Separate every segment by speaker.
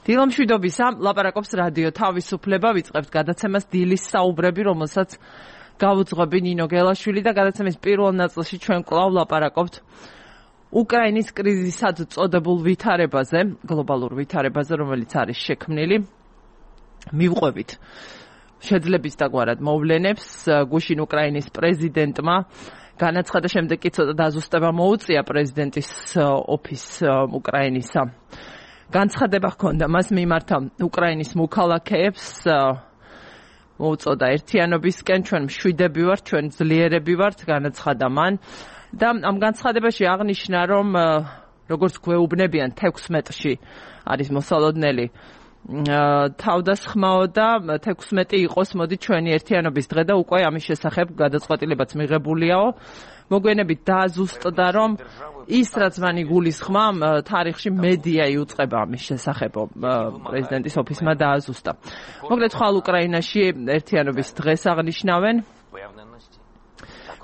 Speaker 1: დილამშვიდობისა, ლაპარაკობს რადიო თავისუფლება, ვიწყებთ გადაცემას დილის საუბრები, რომელსაც გავუძღვები ნინო გელაშვილი და გადაცემის პირველ ნაწილში ჩვენ კვლავ ლაპარაკობთ უკრაინის კრიზისად წოდებულ ვითარებაზე, გლობალურ ვითარებაზე, რომელიც არის შექმნილი. მივყვებით შეძლების დაგვარად მოვლენებს, გუშინ უკრაინის პრეზიდენტმა განაცხადა, შემდეგ კი ცოტა დაზუსტება მოუწია პრეზიდენტის ოფისს უკრაინისა. განცხადება ჰქონდა მას მიმართა უკრაინის მოქალაქეებს, მოუწოდა ერთიანობისკენ, ჩვენ მშვიდები ვართ, ჩვენ ძლიერები ვართ, განაცხადა მან და ამ განცხადებაში აღნიშნა, რომ როგორც გვეუბნებიან 16-ში არის მოსალოდნელი თავდასხმაო და 16 იყოს, მოდი ჩვენი ერთიანობის დღე და უკვე ამის შესახებ გადაწყვეტილებაც მიღებულიაო. მოგვიანებით დააზუსტდა, რომ ის რაც მან იგულისხმა, თარიღში მედია იუწყება ამის შესახებ, პრეზიდენტის ოფისმა დააზუსტა. მოკლედ ხვალ უკრაინაში ერთიანობის დღეს აღნიშნავენ.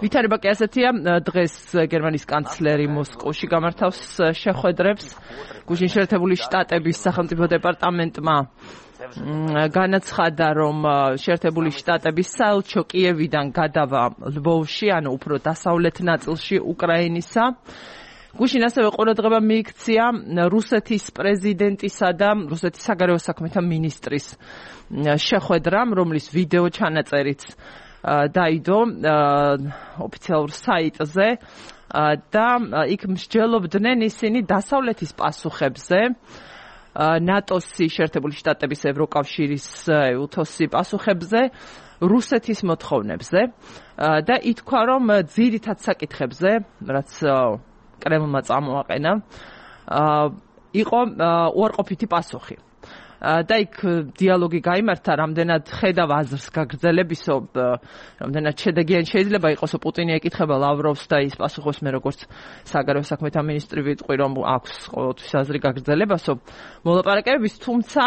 Speaker 1: ვითარება კი ასეთია, დღეს გერმანიის კანცლერი მოსკოვში გამართავს შეხვედრებს. გუშინ შეერთებული შტატების სახელმწიფო დეპარტამენტმა განაცხადა, რომ შეერთებული შტატების საელჩო კიევიდან გადავა ლვოვში, ანუ უფრო დასავლეთ ნაწილში უკრაინისა. გუშინ ასევე ყურადღება მიიქცია რუსეთის პრეზიდენტისა და რუსეთის საგარეო საქმეთა მინისტრის შეხვედრამ, რომლის ვიდეო ჩანაწერიც დაიდო ოფიციალურ საიტზე და იქ მსჯელობდნენ ისინი დასავლეთის პასუხებზე, ნატოს-ი, შეერთებული შტატების, ევროკავშირის, EUTOS-ი პასუხებზე, რუსეთის მოთხოვნებზე და ითქვა, რომ ძირითად საკითხებზე, რაც კრემლმა წამოაყენა, იყო უარყოფითი პასუხი. და იქ დიალოგი გაიმართა, რამდენად ხედავ აზრს გაგრძელებისო, რამდენად შედეგიანი შეიძლება იყოსო. პუტინი ეკითხება ლავროვს და ის პასუხობს, მე როგორც საგარეო საქმეთა მინისტრი ვიტყვი, რომ აქვს ყოველთვის აზრი გაგრძელებასო მოლაპარაკებების, თუმცა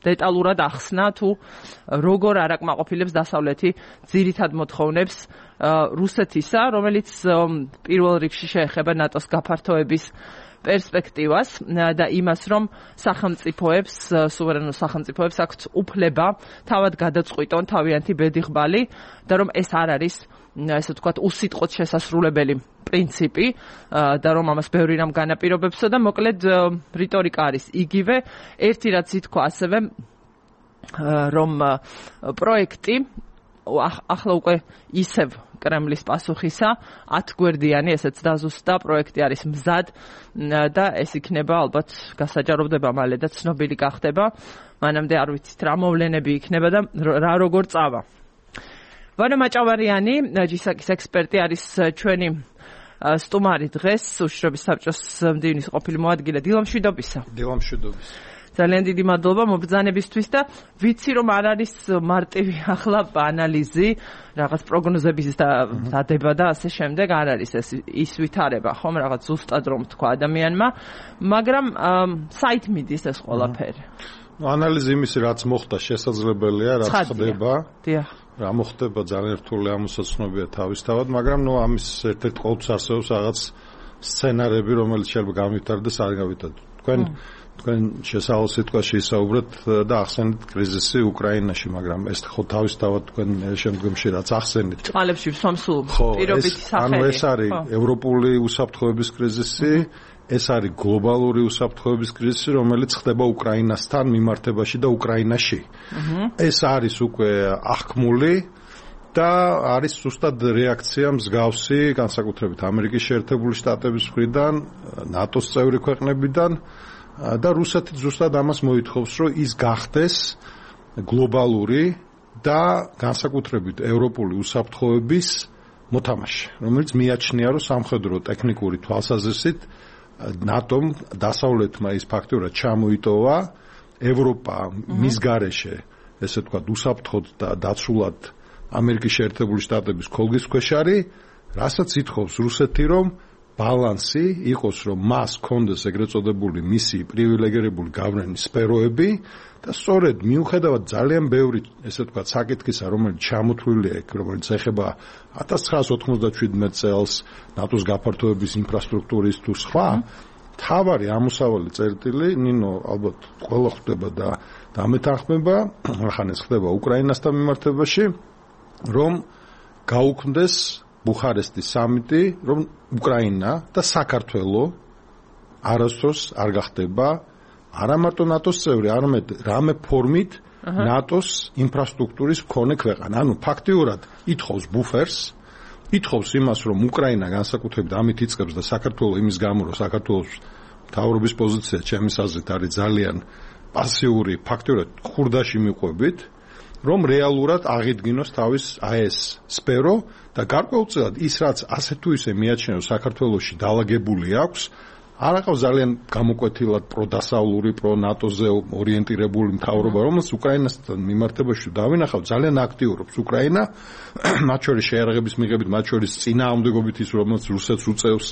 Speaker 1: დეტალურად ახსნა თუ როგორ არ აკმაყოფილებს დასავლეთი ძირითად მოთხოვნებს რუსეთისა, რომელიც პირველ რიგში შეეხება ნატოს გაფართოების პერსპექტივას და იმას, რომ სახელმწიფოებს, სუვერენულ სახელმწიფოებს აქვთ უფლება თავად გადაწყვიტონ თავიანთი ბედიღბალი და რომ ეს არ არის, ესე ვთქვათ, უსიტყვოდ შესასრულებელი პრინციპი და რომ ამას ბევრი რამ განაპირობებსო და მოკლედ რიტორიკა არის იგივე. ერთი რაც ითქვა ასევე, რომ პროექტი ახლა უკვე ისევ კრემლის პასუხისა 10 გვერდიანი, ესეც დაზუსტდა, პროექტი არის მზად და ეს იქნება ალბათ გასაჯაროვდება მალე და ცნობილი გახდება. მანამდე არ ვიცით რა მოვლენები იქნება და რა როგორ წავა. ვანო მაჭავარიანი, ჯისაკის ექსპერტი არის ჩვენი სტუმარი დღეს, უშიშროების საბჭოს მდივნის ყოფილი მოადგილე. დილამშვიდობისა.
Speaker 2: დილამშვიდობის.
Speaker 1: ძალიან დიდი მადლობა მობრძანებისთვის და ვიცი, რომ არ არის მარტივი ახლა ანალიზი, რაღაც პროგნოზების დადება და ასე შემდეგ, არ არის ის ვითარება, ხომ, რაღაც ზუსტად რომ თქვა ადამიანმა, მაგრამ საით მიდის ეს ყველაფერი?
Speaker 2: ანალიზი იმისი, რაც მოხდა, შესაძლებელია, რაც ხდება.
Speaker 1: დიახ.
Speaker 2: რა მოხდება, ძალიან რთული ამოსაცნობია თავისთავად, მაგრამ ამის ერთ-ერთი ყოველთვის არსებობს რაღაც სცენარები, რომელიც შეიძლება გამვითარდეს, არ გამვითარდეს. თქვენ შესავალ სიტყვაში ისაუბრეთ და ახსენეთ კრიზისი უკრაინაში, მაგრამ ეს ხო თავისთავად თქვენ შემდგომში რაც ახსენეთ.
Speaker 1: წყალებში სომსულ პირობითი სახელი.
Speaker 2: ანუ ეს არის ევროპული უსაფრთხოების კრიზისი, ეს არის გლობალური უსაფრთხოების კრიზისი, რომელიც ხდება უკრაინასთან მიმართებაში და უკრაინაში. ეს არის უკვე აღქმული და არის ზუსტად რეაქცია მსგავსი, განსაკუთრებით ამერიკის შეერთებული შტატების მხრიდან, ნატოს წევრი ქვეყნებიდან. და რუსეთი ზუსტად ამას მოითხოვს, რომ ის გახდეს გლობალური და განსაკუთრებით ევროპული უსაფრთხოების მოთამაშე, რომელიც მიაჩნია, რომ სამხედრო ტექნიკური თვალსაზრისით ნატომ დასავლეთმა ის ფაქტურად ჩამოიტოვა, ევროპა მის გარეშე, ესე ვთქვათ, უსაფრთხოდ და დაცულად ამერიკის შეერთებული შტატების ქოლგის ქვეშ არის, რასაც ითხოვს რუსეთი, რომ ბალანსი იყოს, რომ მას კონდეს ეგრეთ წოდებული მისი პრივილეგირებული გავლენის სფეროები და სწორედ მიუხედავად ძალიან ბევრი, ესე ვთქვათ, საკითხისა, რომელიც ჩამოთვლილია იქ, რომელიც ეხება 1997 წელს ნატოს გაფართოების ინფრასტრუქტურის თუ სხვა, თავარი ამოსავალი წერტილი ნინო ალბათ ყველა ხვდება და დამეთანხმება, ახანეს ხდება უკრაინასთან მიმართებაში, რომ გაუქმდეს ბუხარესტის სამიტი, რომ უკრაინა და საქართველო არასდროს არ გახდება არა მარტო ნატოს წევრი, არამედ რამე ფორმით ნატოს ინფრასტრუქტურის მქონე ქვეყანა. ანუ ფაქტიურად ითხოვს ბუფერს, ითხოვს იმას, რომ უკრაინა განსაკუთრებით ამით იწყებს და საქართველოს იმის გამო, რომ საქართველოს მთავრობის პოზიცია ჩემის აზრით არის ძალიან პასიური, ფაქტიურად ხურდაში მიყვებით, რომ რეალურად აღიდგინოს თავის ეს სფერო და გარკვეულწილად ის რაც ასე თუ ისე მიაჩნევს საქართველოში დაალაგებული აქვს, არ აყავს ძალიან გამოკვეთილად პროდასავლური, პრო-ნატოზე ორიენტირებული მთავრობა, რომელსაც უკრაინასთან მიმართებაში დავინახავ, ძალიან აქტიურობს უკრაინა, მათ შორის შეიარაღების მიღებით, მათ შორის წინააღმდეგობით ის, რომელიც რუსეთს უწევს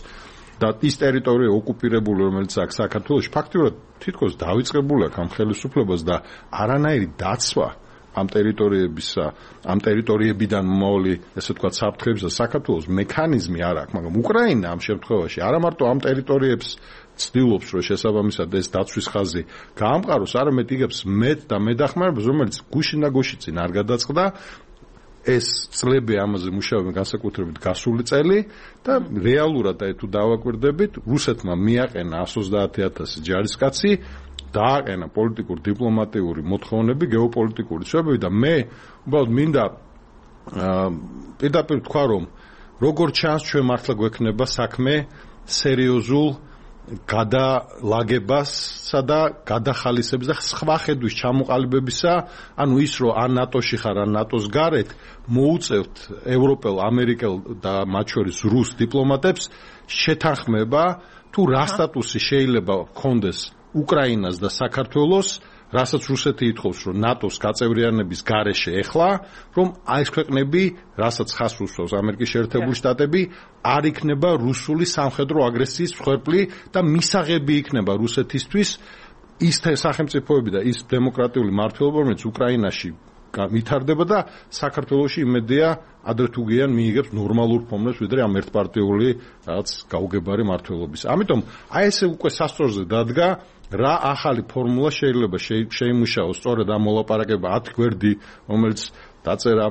Speaker 2: და ის ტერიტორია ოკუპირებული, რომელიც აქვს საქართველოში, ფაქტიურად თითქოს დავიწყებული აქვს ამ ხელისუფლებას და არანაირი დაცვა ამ ტერიტორიებისა, ამ ტერიტორიებიდან მომავალი, ესე ვთქვათ, საფრთხეების და საქართველოს მექანიზმი არ აქვს, მაგრამ უკრაინა ამ შემთხვევაში არა მარტო ამ ტერიტორიებს ცდილობს, რომ შესაბამისად ეს დაცვის ხაზი გაამყაროს, არამედ იგებს მეტ და მეტახმარებას, რომელიც გუშინ და გუშინ წინ არ გადაწყდა. ეს წლები ამაზე მუშაობენ განსაკუთრებით გასული წელი და რეალურად თუ დავაკვირდებით, რუსეთმა მიაყენა 130,000 ჯარისკაცი, დააყენა პოლიტიკურ დიპლომატიური მოთხოვნები, გეოპოლიტიკური ცვლილებები და მე უბრალოდ მინდა პირდაპირ თქვა, რომ როგორ ჩანს ჩვენ მართლა გვექნება საქმე სერიოზულ გადალაგებასა და გადახალისების და სხვა ხედვის ჩამოყალიბებისა, ანუ ის რომ ან ნატოში ხარ, ან ნატოს გარეთ, მოუწევთ ევროპელ, ამერიკელ და მათ შორის რუს დიპლომატებს შეთანხმება, თუ რა სტატუსი შეიძლება ჰქონდეს უკრაინას და საქართველოს, რასაც რუსეთი ითხოვს, რომ ნატოს გაწევრიანების გარეშე ეხლა, რომ ეს ქვეყნები, რასაც ხას უსვავს ამერიკის შეერთებული შტატები, არ იქნება რუსული სამხედრო აგრესიის მსხვერპლი და მისაღები იქნება რუსეთისთვის ის სახელმწიფოები და ის დემოკრატიული მმართველობა, რომელიც უკრაინაში ვითარდება და საქართველოში იმედია ადრე თუ გიან მიიღებს ნორმალურ ფორმებს, ვიდრე ამ ერთპარტიული რაღაც გაუგებარი მმართველობის. ამიტომ აი ესე უკვე სასწორზე დადგა რა ახალი ფორმულა შეიძლება შეიმუშაოს სწორედ ამ მოლაპარაკება 10 გვერდი, რომელიც დაწერა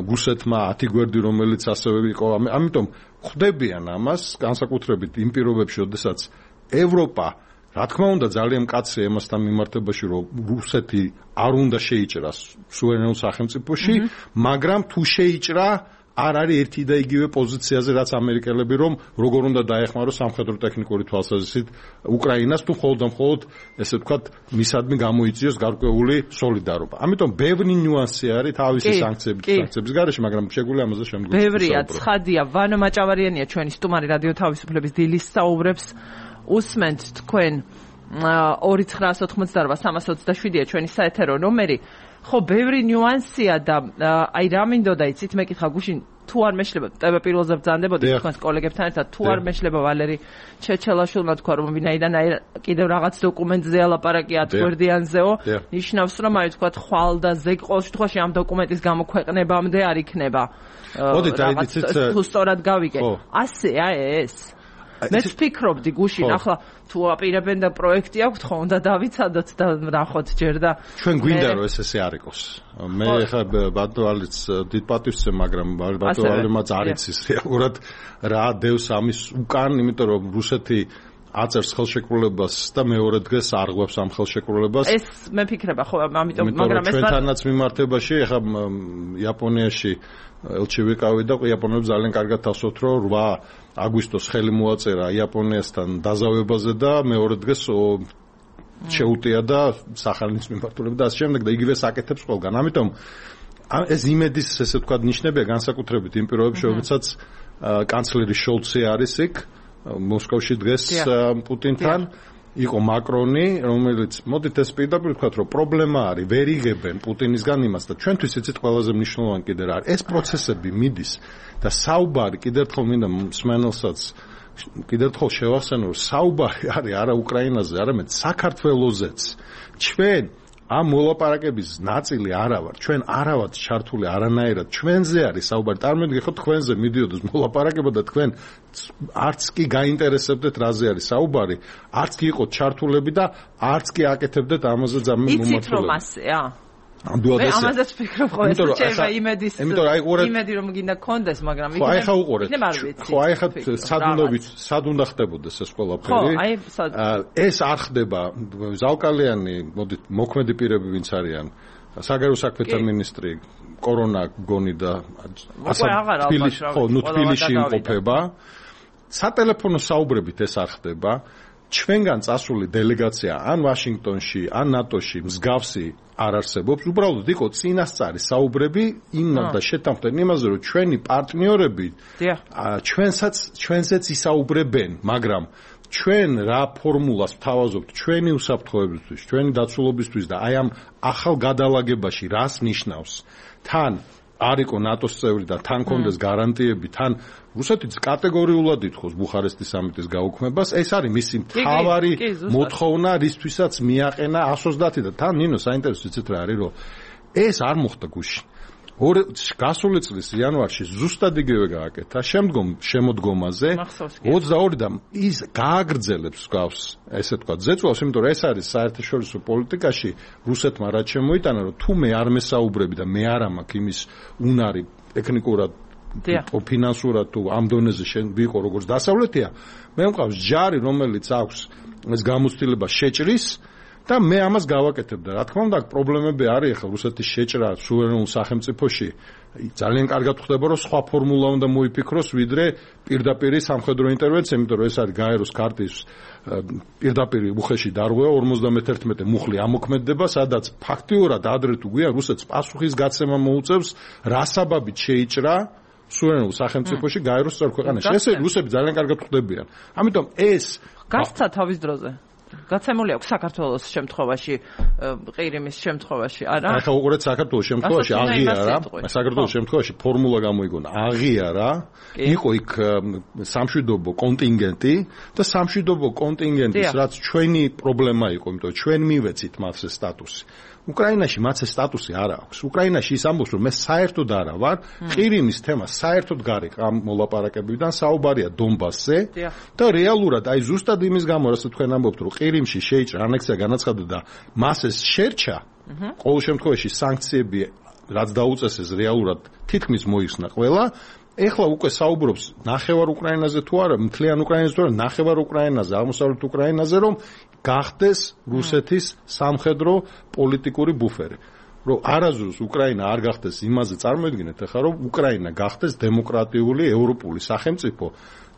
Speaker 2: რუსეთმა, 10 გვერდი, რომელიც ასევე იყო. ამიტომ ხვდებიან ამას განსაკუთრებით იმ პირობებში, როდესაც ევროპა რა თქმა უნდა ძალიან მკაცრია ამასთან მიმართებაში, რომ რუსეთი არ უნდა შეიჭრას სუვერენულ სახელმწიფოში, მაგრამ თუ შეიჭრა არ არის ერთი და იგივე პოზიციაზე, რაც ამერიკელები, რომ როგორ უნდა დაეხმაროს სამხედრო ტექნიკური თვალსაზრისით უკრაინას, თუ მხოლოდ და მხოლოდ, ესე ვთქვათ, მისადმი გამოიწვიოს გარკვეული სოლიდარობა. ამიტომ ბევრი ნიუანსი არის თავისი სანქციების გარეშე, მაგრამ შეგვიძლია ამაზე შემდგომ.
Speaker 1: ბევრია, ცხადია, ვანო მაჭავარიანია ჩვენი სტუმარი რადიო თავისუფლების დილის საუბრებს. უსმენთ თქვენ 2988-327-ია ჩვენი საეთერო ნომერი. ხო, ბევრი ნიუანსია და აი რა მინდოდა იცით, მეკითხა გუშინ თუ არ მეშლება, პირველზე ბრძანდებოდი თქვენს კოლეგებთან ერთად, თუ არ მეშლება ვალერი ჩეჩელაშვილმა თქვა, რომ ვინაიდან აი კიდევ რაღაც დოკუმენტზე ალაპარაკი 10 გვერდიანზეო, ნიშნავს, რომ აი თქვა ხვალ და ზეგ ყოველ შემთხვევაში ამ დოკუმენტის გამოქვეყნებამდე არ იქნება.
Speaker 2: მოდით აი იცით,
Speaker 1: თუ სწორად გავიგე. ასეა ეს. მეც ვფიქრობდი გუშინ, ახლა თუ აპირებენ და პროექტი აქვთ, ხო უნდა დავიცადოთ და ნახოთ ჯერ და
Speaker 2: ჩვენ გვინდა რომ ესე არ იყოს. მე ხა ბატონალიც დიდ პატივს ვცემ, მაგრამ ბატონალიმაც არ იცის რეალურად რა დევს ამის უკან, იმიტომ რომ რუსეთი აწერს ხელშეკრულებას და მეორე დღეს არღვევს ამ ხელშეკრულებას.
Speaker 1: ეს მე ფიქრება ხო, ამიტომ მაგრამ ეს
Speaker 2: ჩვენთანაც მიმართებაში ხა იაპონიაში ელჩი ვიყავი და იაპონელებს ძალიან კარგად თასობთ, რომ 8 აგვისტოს ხელი მოაწერა იაპონიასთან დაზავებაზე და მეორე დღეს შეუტია და სახალინს მიმართულებით და ასე შემდეგ და იგივე საკეთებს ყველგან. ამიტომ ეს იმედის, ესე ვთქვათ, ნიშნებია განსაკუთრებით იმ პირობებში, რომელსაც კანცლერი შოლცი არის იქ მოსკოვში დღეს პუტინთან. იყო მაკრონი, რომელიც მოდით ეს პირდაპირ ვთქვათ, რომ პრობლემა არის, ვერ იღებენ პუტინისგან იმას და ჩვენთვის იცით ყველაზე მნიშვნელოვანი კიდე რა არის. ეს პროცესები მიდის და საუბარი კიდევ ერთხელ მინდა მსმენელსაც კიდევ ერთხელ შევახსენო, რომ საუბარი არის არა უკრაინაზე, არამედ საქართველოზეც. ჩვენ ამ მოლაპარაკების ნაწილი არა ვარ. ჩვენ არა ვართ ჩართული არანაირად. ჩვენზე არის საუბარი. წარმოგიდგენთ, ხო თქვენზე მიდიოდეს მოლაპარაკება და თქვენ არც კი გაინტერესებდეთ რაზე არის საუბარი, არც კი იყოთ ჩართულები და არც კი აკეთებდეთ ამაზე ძამე
Speaker 1: მომართულება. იცით რომ ასეა?
Speaker 2: ამდენად
Speaker 1: ესე. მე ამაზეც ფიქრობ ხოლმე, შეიძლება იმედი რომ გინდა კონდეს, მაგრამ
Speaker 2: იქნება. ხო, აი ხა უყურეთ. ხო, აი ხა სად უნდა ხდებოდეს ეს ყველაფერი? ეს არ ხდება. ზალკალიანი, მოდით, მოქმედი პირები ვინც არიან, საგარეო საქმეთა მინისტრი, კორონა გონი და თბილისში იმყოფება. სატელეფონო საუბრებით ეს არ ხდება. ჩვენგან წასული დელეგაცია ან ვაშინგტონში, ან ნატოში მსგავსი არ არსებობს. უბრალოდ იყო წინასწარი საუბრები იმ და შეთანხმდნენ იმაზე, რომ ჩვენი პარტნიორები ჩვენსაც ისაუბრებენ, მაგრამ ჩვენ რა ფორმულას ვთავაზობთ ჩვენი უსაფრთხოებისთვის, ჩვენი დაცულობისთვის და აი ამ ახალ გადალაგებაში რას ნიშნავს? თან არ იყო ნატოს წევრი და თან კონდეს გარანტიები, თან რუსეთიც კატეგორიულად ითხოვს ბუხარესტის სამიტის გაუქმებას. ეს არის მისი მთავარი მოთხოვნა, რისთვისაც მიაყენა 130 და თან ნინო საინტერესო იცით რა არის, რომ ეს არ მოხდა გუშინ. გასული წლის იანვარში ზუსტად იგივე გააკეთა. შემდგომ შემოდგომაზე 22 და ის გააგრძელებს გავს, ესე თქვა, ზეწვავს, იმიტომ რომ ეს არის საერთაშორისო პოლიტიკაში რუსეთმა რაც შემოიტანა, რომ თუ მე არ მესაუბრები და მე არ ამაქვს იმის უნარი ტექნიკურად ფინანსურად თუ ამ დონეზე ვიყო როგორც დასავლეთია, მე მყავს ჯარი, რომელიც აქვს ეს გამოცდილება შეჭრის და მე ამას გავაკეთებ და რა თქმა უნდა პრობლემები არის ახლა რუსეთის შეჭრა სუვერენულ სახელმწიფოში ძალიან კარგად ხდება რომ სხვა ფორმულა უნდა მოიფიქროს ვიდრე პირდაპირ სამხედრო ინტერვენცია, იმიტომ რომ ეს არის გაეროს ქარტის პირდაპირ უხეში დარღვევა 51 მუხლი ამოქმედება, სადაც ფაქტიურად ადრე თუ გვიან რუსეთს პასუხის გაცემა მოუწევს რა საბაბით შეიჭრა სუვერენულ სახელმწიფოში გაეროს წევრ ქვეყანაში. ესე რუსები ძალიან კარგად ხვდებიან. ამიტომ ეს
Speaker 1: გასცა თავის დროზე გაცემული აქვს საქართველოს შემთხვევაში, ყირიმის შემთხვევაში, არა?
Speaker 2: ახლა უყურეთ საქართველოს შემთხვევაში აღიარა, საქართველოს შემთხვევაში ფორმულა გამოიგონა, აღიარა, იყო იქ სამშვიდობო კონტინგენტი და სამშვიდობო კონტინგენტის რაც ჩვენი პრობლემა იყო, იმიტომ ჩვენ მივეცით მას ეს სტატუსი. უკრაინაში მას ეს სტატუსი არ აქვს. უკრაინაში ის ამბობს, რომ მე საერთოდ არა ვარ, ყირიმის თემა საერთოდ გარეკ ამ მოლაპარაკებებიდან საუბარია დონბასზე და რეალურად აი ზუსტად იმის გამო, რასაც თქვენ ამბობთ, რომ ყირიმში შეიჭრა ანექსია განაცხადა და მას ეს შერჩა, ყოველ შემთხვევაში სანქციები რაც დაუწესეს რეალურად თითქმის მოიხსნა ყველა. ეხლა უკვე საუბრობს ნახევარ უკრაინაზე თუ არა, მთლიან უკრაინაზე თუ არა, ნახევარ უკრაინაზე, აღმოსავლეთ უკრაინაზე, რომ გახდეს რუსეთის სამხედრო პოლიტიკური ბუფერი. რომ არაზუსტ უკრაინა არ გახდეს იმაზე წარმოედგინეთ ახლა რომ უკრაინა გახდეს დემოკრატიული ევროპული სახელმწიფო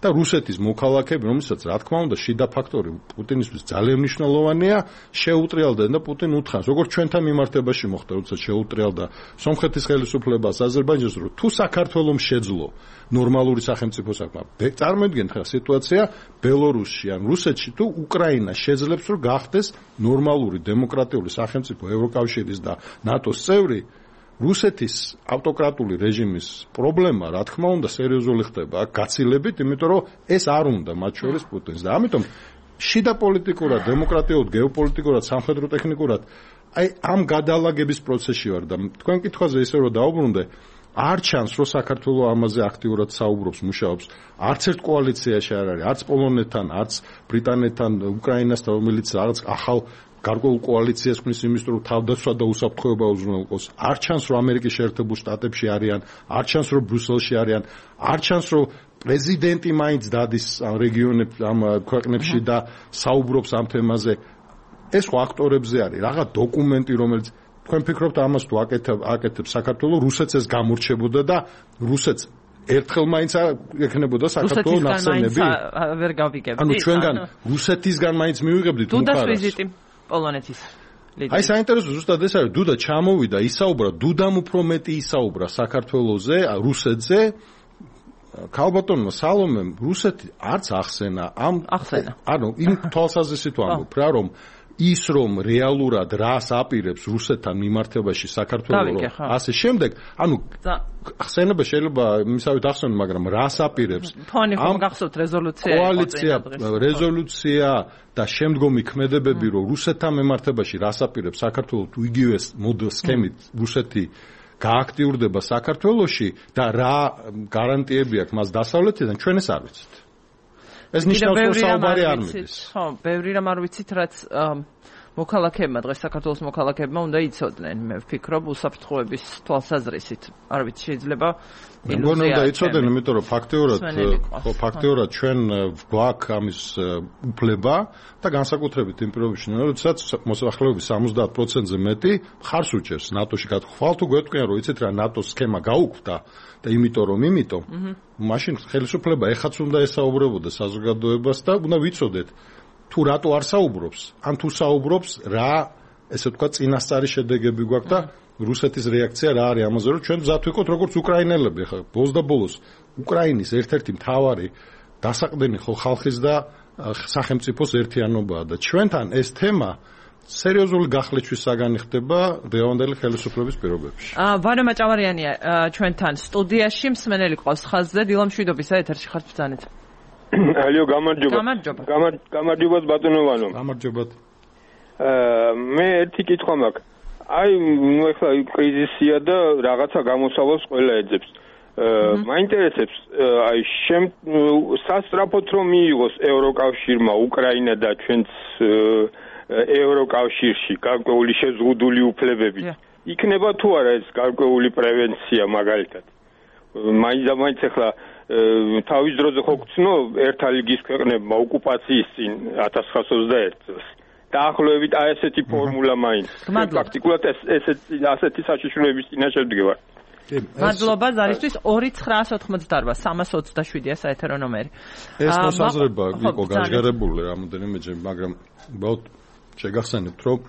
Speaker 2: და რუსეთის მოქალაქეები, რომელსაც რა თქმა უნდა შიდა ფაქტორი პუტინისთვის ძალიან მნიშვნელოვანია, შეუტრიალდნენ და პუტინ უთხრას, როგორც ჩვენთან მიმართებაში მოხდა, როცა შეუტრიალდა სომხეთის ხელისუფლებას, აზერბაიჯანს, რომ თუ საქართველოს შეძლო ნორმალური სახელმწიფო საქმე. წარმოიდგინეთ ხა სიტუაცია ბელორუსში ან რუსეთში თუ უკრაინა შეძლებს რომ გახდეს ნორმალური დემოკრატიული სახელმწიფო ევროკავშირის და ნატოს წევრი, რუსეთის ავტოკრატული რეჟიმის პრობლემა, რა თქმა უნდა, სერიოზული ხდება გაცილებით, იმიტომ რომ ეს არ უნდა მათ შორის პუტინს და ამიტომ შიდა პოლიტიკურად, დემოკრატიულად, გეოპოლიტიკურად, სამხედრო ტექნიკურად აი ამ გადალაგების პროცესში ვარ და თქვენ კითხვაზე ისე რომ დაუბრუნდე, არ ჩანს რომ საქართველოს ამაზე აქტიურად საუბრობს, მუშაობს. არც ერთ კოალიციაში არ არის, არც პოლონეთთან, არც ბრიტანეთთან, უკრაინასთან, რომელიც რაღაც ახალ გარკვეულ კოალიციას ქმნის იმის რომ თავდაცვა და უსაფრთხოება უზრუნველყოს. არ ჩანს რომ ამერიკის შეერთებულ შტატებში არიან, არ ჩანს რომ ბრიუსელში არიან, არ ჩანს რომ პრეზიდენტი მაინც დადის ამ რეგიონებში, ამ ქვეყნებში და საუბრობს ამ თემაზე. ეს ფაქტორებზე არის, რაღაც დოკუმენტი, რომელიც თქვენ ფიქრობთ ამას თუ აკეთებს საქართველოს, რუსეთს ეს გამორჩებოდა და რუსეთს ერთხელ მაინც ეკნებოდა საქართველოს ნახსენები.
Speaker 1: ვერ გავიგებდი.
Speaker 2: ანუ ჩვენგან რუსეთისგან მაინც მივიღებდით
Speaker 1: დუდას ვიზიტი პოლონეთის.
Speaker 2: აი საინტერესო ზუსტად ეს არის, დუდა ჩამოვიდა, ისაუბრა, დუდამ უფრო მეტი ისაუბრა საქართველოზე, რუსეთზე. ქალბატონმა სალომემ რუსეთი არც ახსენა ამ
Speaker 1: ახსენა.
Speaker 2: ანუ იმ თვალსაზრისით ვამბობ რა, რომ ის რომ რეალურად რას აპირებს რუსეთთან მიმართებაში საქართველოს ასე შემდეგ ანუ ხსენება შეიძლება მისავით ახსენო მაგრამ რას აპირებს
Speaker 1: ამ გახსოვთ
Speaker 2: რეზოლუცია და შემდგომი ქმედებები რომ რუსეთთან მიმართებაში რას აპირებს საქართველოს იგივე სქემით რუსეთი გააქტიურდება საქართველოში და რა გარანტიები აქვს მას დასავლეთიდან ჩვენ ეს არ ვიცით ეს ნიშნავს რომ საუბარი არ მიდის
Speaker 1: ხო ბევრი რამ არ ვიცით რაც მოქალაქეებმა დღეს საქართველოს მოქალაქეებმა უნდა იცოდნენ მე ვფიქრობ უსაფრთხოების თვალსაზრისით არ ვიცი შეიძლება
Speaker 2: iluzia უნდა იცოდნენ იმიტომ რომ ფაქტიურად ჩვენ გვაქვს ამის უფლება და განსაკუთრებით იმ პირობებში როდესაც მოსახლეობის 70%-ზე მეტი მხარს უჭერს ნატოში გათხოვალ თუ გვეტყვიან რომ იცით რა ნატოს სქემა გაუქმდა და იმიტომ მაშინ ხელისუფლება ეხაც უნდა ესაუბრებოდეს საზოგადოებას და უნდა ვიცოდეთ თუ რატო არ საუბრობს ან თუ საუბრობს რა ესე ვთქვა წინასწარი შედეგები გვაქვს და რუსეთის რეაქცია რა არის ამაზე რომ ჩვენ მზად ვიყოთ როგორც უკრაინელები ხა ბოლოს და ბოლოს უკრაინის ერთ-ერთი მთავარი დასაყრდენი ხო ხალხის და სახელმწიფოს ერთიანობაა და ჩვენთან ეს თემა სერიოზული გახლეჩვის საგანი ხდება დღევანდელი ხელისუფლების პირობებში.
Speaker 1: ვანო მაჭავარიანია ჩვენთან სტუდიაში მსმენელი ყავს ხაზზე დილა მშვიდობისა ეთერში ხართ ბრძანეთ.
Speaker 3: ალიო გამარჯობა. გამარჯობა ბატონო ვანო.
Speaker 2: გამარჯობა.
Speaker 3: მე ერთი კითხვა მაქვს. აი ნუ ახლა კრიზისია და რაღაცა გამოსავალს ყველა ეძებს. მაინტერესებს აი სასწრაფოდ რომ მიიღოს ევროკავშირმა უკრაინა და ჩვენც ევროკავშირში გარკვეული შეზღუდული უფლებები. იქნება თუ არა ეს გარკვეული პრევენცია მაგალითად. მაინც ახლა თავის დროზე ხო გწნო ერთა ლიგის ქვეყნებმა ოკუპაციის წინ 1921 წელს. დაახლოებით აი ესეთი ფორმულა მაინც. პრაქტიკულად ასეთი საშიშროების წინაშე ვდგევარ.
Speaker 1: მადლობა ზარისთვის 2988 327-ია საეთერო ნომერი.
Speaker 2: ეს მოსაზრება იყო გაჟღერებული რამოდენიმეჯერ, მაგრამ უბრალოდ შეგახსენებთ, რომ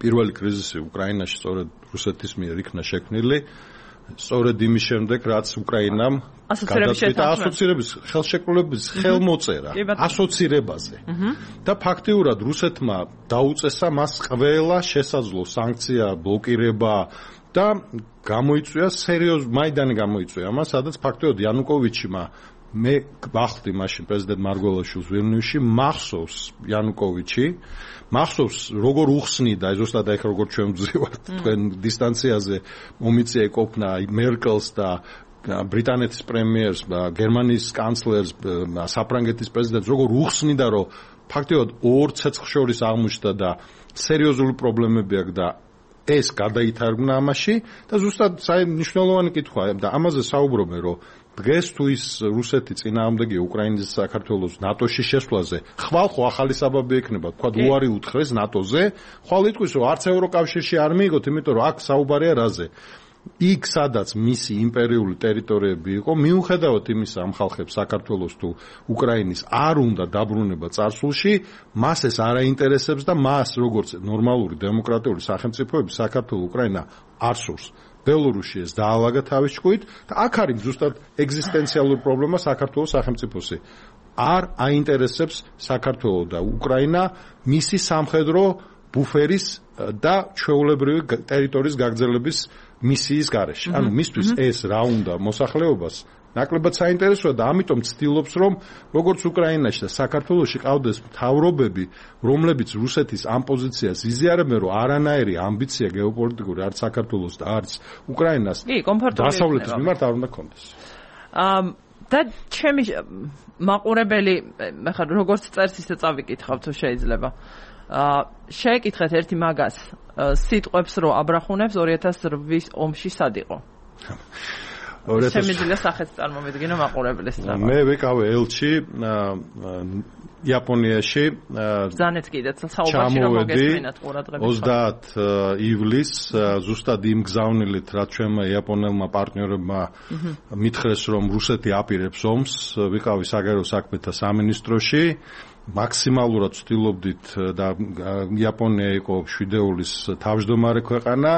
Speaker 2: პირველი კრიზისი უკრაინაში სწორედ რუსეთის მიერ იქნა შექმნილი, სწორედ იმის შემდეგ, რაც უკრაინამ გადაწყვიტა ასოცირების ხელშეკრულების ხელმოწერა ასოცირებაზე. და ფაქტიურად რუსეთმა დაუწესა მას ყველა შესაძლო სანქცია, ბლოკირება და გამოიწვია მაიდანი გამოიწვია მას, სადაც ფაქტიურად იანუკოვიჩმა მე ვახდი მაშინ პრეზიდენტ მარგველაშვილს ვილნიუსში მახსოვს იანუკოვიჩი მახსოვს როგორ უხსნიდა ზუსტად აი როგორ ჩვენ ვძივართ თქვენ დისტანციაზე მომიწია ეკოფნა მერკელს და ბრიტანეთის პრემიერს და გერმანიის კანცლერს საფრანგეთის პრეზიდენტს როგორ უხსნიდა რომ ფაქტიურად ორ ცეცხლ შორის აღმოჩნდა და სერიოზული პრობლემები აქვს და ეს გადაითარგმნა ამაში და ზუსტად მნიშვნელოვანი კითხვაა და ამაზე საუბრობენ რომ დღეს თუ ის რუსეთი წინააღმდეგია უკრაინის საქართველოს ნატოში შესვლაზე ხვალ ხო ახალი საბაბი ექნება თქვა უარი უთხრეს ნატოზე ხვალ იტყვის რომ არც ევროკავშირში არ მიიღოთ იმიტომ რომ აქ საუბარია რაზე იქ სადაც მისი იმპერიული ტერიტორიები იყო მიუხედავად იმისა ამ ხალხებს საქართველოს თუ უკრაინის არ უნდა დაბრუნება წარსულში მას ეს არ აინტერესებს და მას როგორც ნორმალური დემოკრატიული სახელმწიფოები საქართველოს უკრაინა არ სურს ბელორუსში ეს დაალაგა თავის ჭკუით და აქ არის ზუსტად ეგზისტენციალური პრობლემა საქართველოს სახელმწიფოსი არ აინტერესებს საქართველოს და უკრაინა მისი სამხედრო ბუფერის და ჩვეულებრივი ტერიტორიის გაგრძელების მისიის გარეშე. ანუ მისთვის ეს რა უნდა მოსახლეობას ნაკლებად საინტერესოა და ამიტომ ცდილობს რომ როგორც უკრაინაში და საქართველოში ყავდეს მთავრობები, რომლებიც რუსეთის ამ პოზიციას იზიარებენ, რომ არანაირი ამბიცია გეოპოლიტიკური არც საქართველოს და არც უკრაინას დასავლეთის მიმართ არ უნდა ქონდეს.
Speaker 1: და ჩემი მაყურებელი ხა როგორც წერს ისე წავიკითხავ თუ შეიძლება. შეეკითხეთ ერთი მაგას სიტყვებს რო აბრახუნებს 2008-ის ომში სად იყო? შემიძლია სახეც წარმოვიდგინო მაყურებლის თამა.
Speaker 2: მე ვიყავი ელჩი იაპონიაში
Speaker 1: ბრძანეთ კიდეც საუბარში რომ მოგესმინათ ყურადღება
Speaker 2: 30 ივლისს ზუსტად იმ გზავნილით რაც ჩვენმა იაპონელმა პარტნიორებმა მითხრეს რომ რუსეთი აპირებს ომს ვიყავი საგარეო საქმეთა სამინისტროში მაქსიმალურად ვცდილობდით და იაპონია იყო შვიდეულის თავმჯდომარე ქვეყანა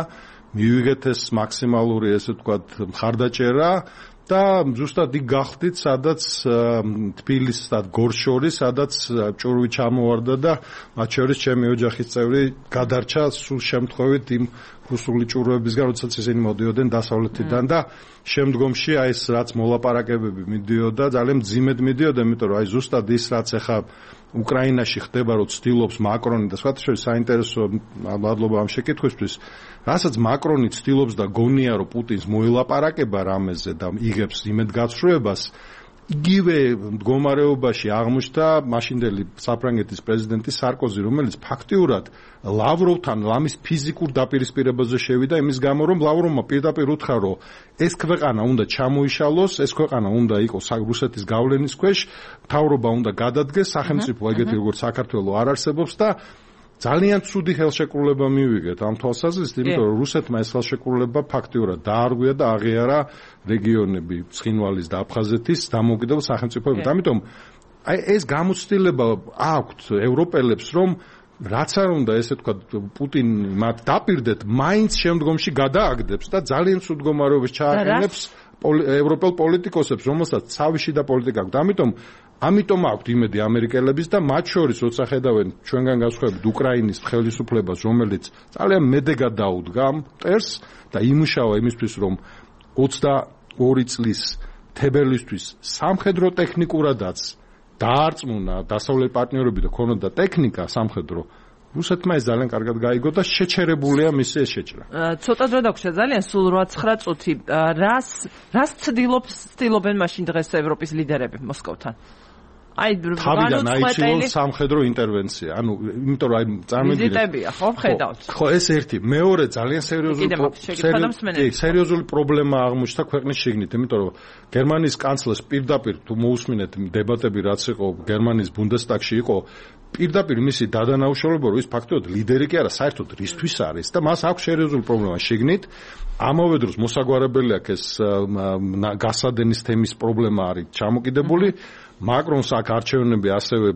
Speaker 2: მივიღეთ ეს მაქსიმალური ესე ვთქვათ მხარდაჭერა და ზუსტად იქ გახდით, სადაც თბილისს და გორს შორის, სადაც ჭურვი ჩამოვარდა და მათ შორის ჩემი ოჯახის წევრი გადარჩა სულ შემთხვევით იმ რუსული ჭურვებისგან, როდესაც ისინი მოდიოდნენ დასავლეთიდან და შემდგომში აი ეს რაც მოლაპარაკებები მიდიოდა, ძალიან მძიმედ მიდიოდა, იმიტომ რომ აი ზუსტად ის რაც ახლა უკრაინაში ხდება, რომ ცდილობს მაკრონი და სხვათა შორის საინტერესო მადლობა ამ შეკითხვისთვის, რასაც მაკრონი ცდილობს და გონია, რომ პუტინს მოელაპარაკება რამეზე და იღებს იმედგაცრუებას, იგივე მდგომარეობაში აღმოჩნდა მაშინდელი საფრანგეთის პრეზიდენტი სარკოზი, რომელიც ფაქტიურად ლავროვთან ლამის ფიზიკურ დაპირისპირებაზე შევიდა იმის გამო, რომ ლავროვმა პირდაპირ უთხრა, რომ ეს ქვეყანა უნდა ჩამოიშალოს, ეს ქვეყანა უნდა იყოს რუსეთის გავლენის ქვეშ, მთავრობა უნდა გადადგეს, სახელმწიფო ეგეთი როგორც საქართველოს არ არსებობს და ძალიან ცუდი ხელშეკრულება მივიღეთ ამ თვალსაზრისით, იმიტომ რომ რუსეთმა ეს ხელშეკრულება ფაქტიურად დაარღვია და აღიარა რეგიონები ცხინვალის და აფხაზეთის დამოუკიდებელ სახელმწიფოებად. ამიტომ აი ეს გამოცდილება აქვთ ევროპელებს, რომ რაც არ უნდა ესე თქვა პუტინი მათ დაპირდეთ, მაინც შემდგომში გადააგდებს და ძალიან ცუდ მდგომარეობას ჩააყენებს ევროპელ პოლიტიკოსებს, რომელსაც ცავი და პოლიტიკა აქვს. ამიტომ აქვთ იმედი ამერიკელების და მათ შორის როცა ხედავენ ჩვენგან განსხვავებით უკრაინის ხელისუფლებას, რომელიც ძალიან მედეგად დაუდგა ამ მტერს და იმუშავა იმისთვის, რომ 22 წლის თებერვლისთვის სამხედრო ტექნიკურადაც დაარწმუნა დასავლეთ პარტნიორები და ქონოდა ტექნიკა სამხედრო, რუსეთმა ეს ძალიან კარგად გაიგო და შეჩერებულია მისი ეს შეჭრა.
Speaker 1: ცოტა დრო დაგვრჩა ძალიან სულ 8-9 წუთი. რას ცდილობენ მაშინ დღეს ევროპის ლიდერები მოსკოვთან? აი
Speaker 2: თავიდან აიჩინოს სამხედრო ინტერვენცია. ანუ იმიტომ რომ აი წარმოგიდგენთ
Speaker 1: ვიზიტებია, ხო, ხედავთ.
Speaker 2: ხო, ეს ერთი. მეორე ძალიან სერიოზული პრობლემა აღმოჩნდა ქვეყნის შიგნით, იმიტომ რომ გერმანიის კანცლერს პირდაპირ თუ მოусმინეთ დებატები რაც იყო გერმანიის ბუნდესტაგში იყო პირდაპირ მისი დადანაუშავება, რომ ის ფაქტობრივად ლიდერი კი არა, საერთოდ რისთვის არის და მას აქვს სერიოზული პრობლემა შიგნით. ამავე დროს მოსაგვარებელი აქვს ეს გასადენის თემის პრობლემა არის ჩამოკიდებული. მაკრონს აქ არჩევნები ასევე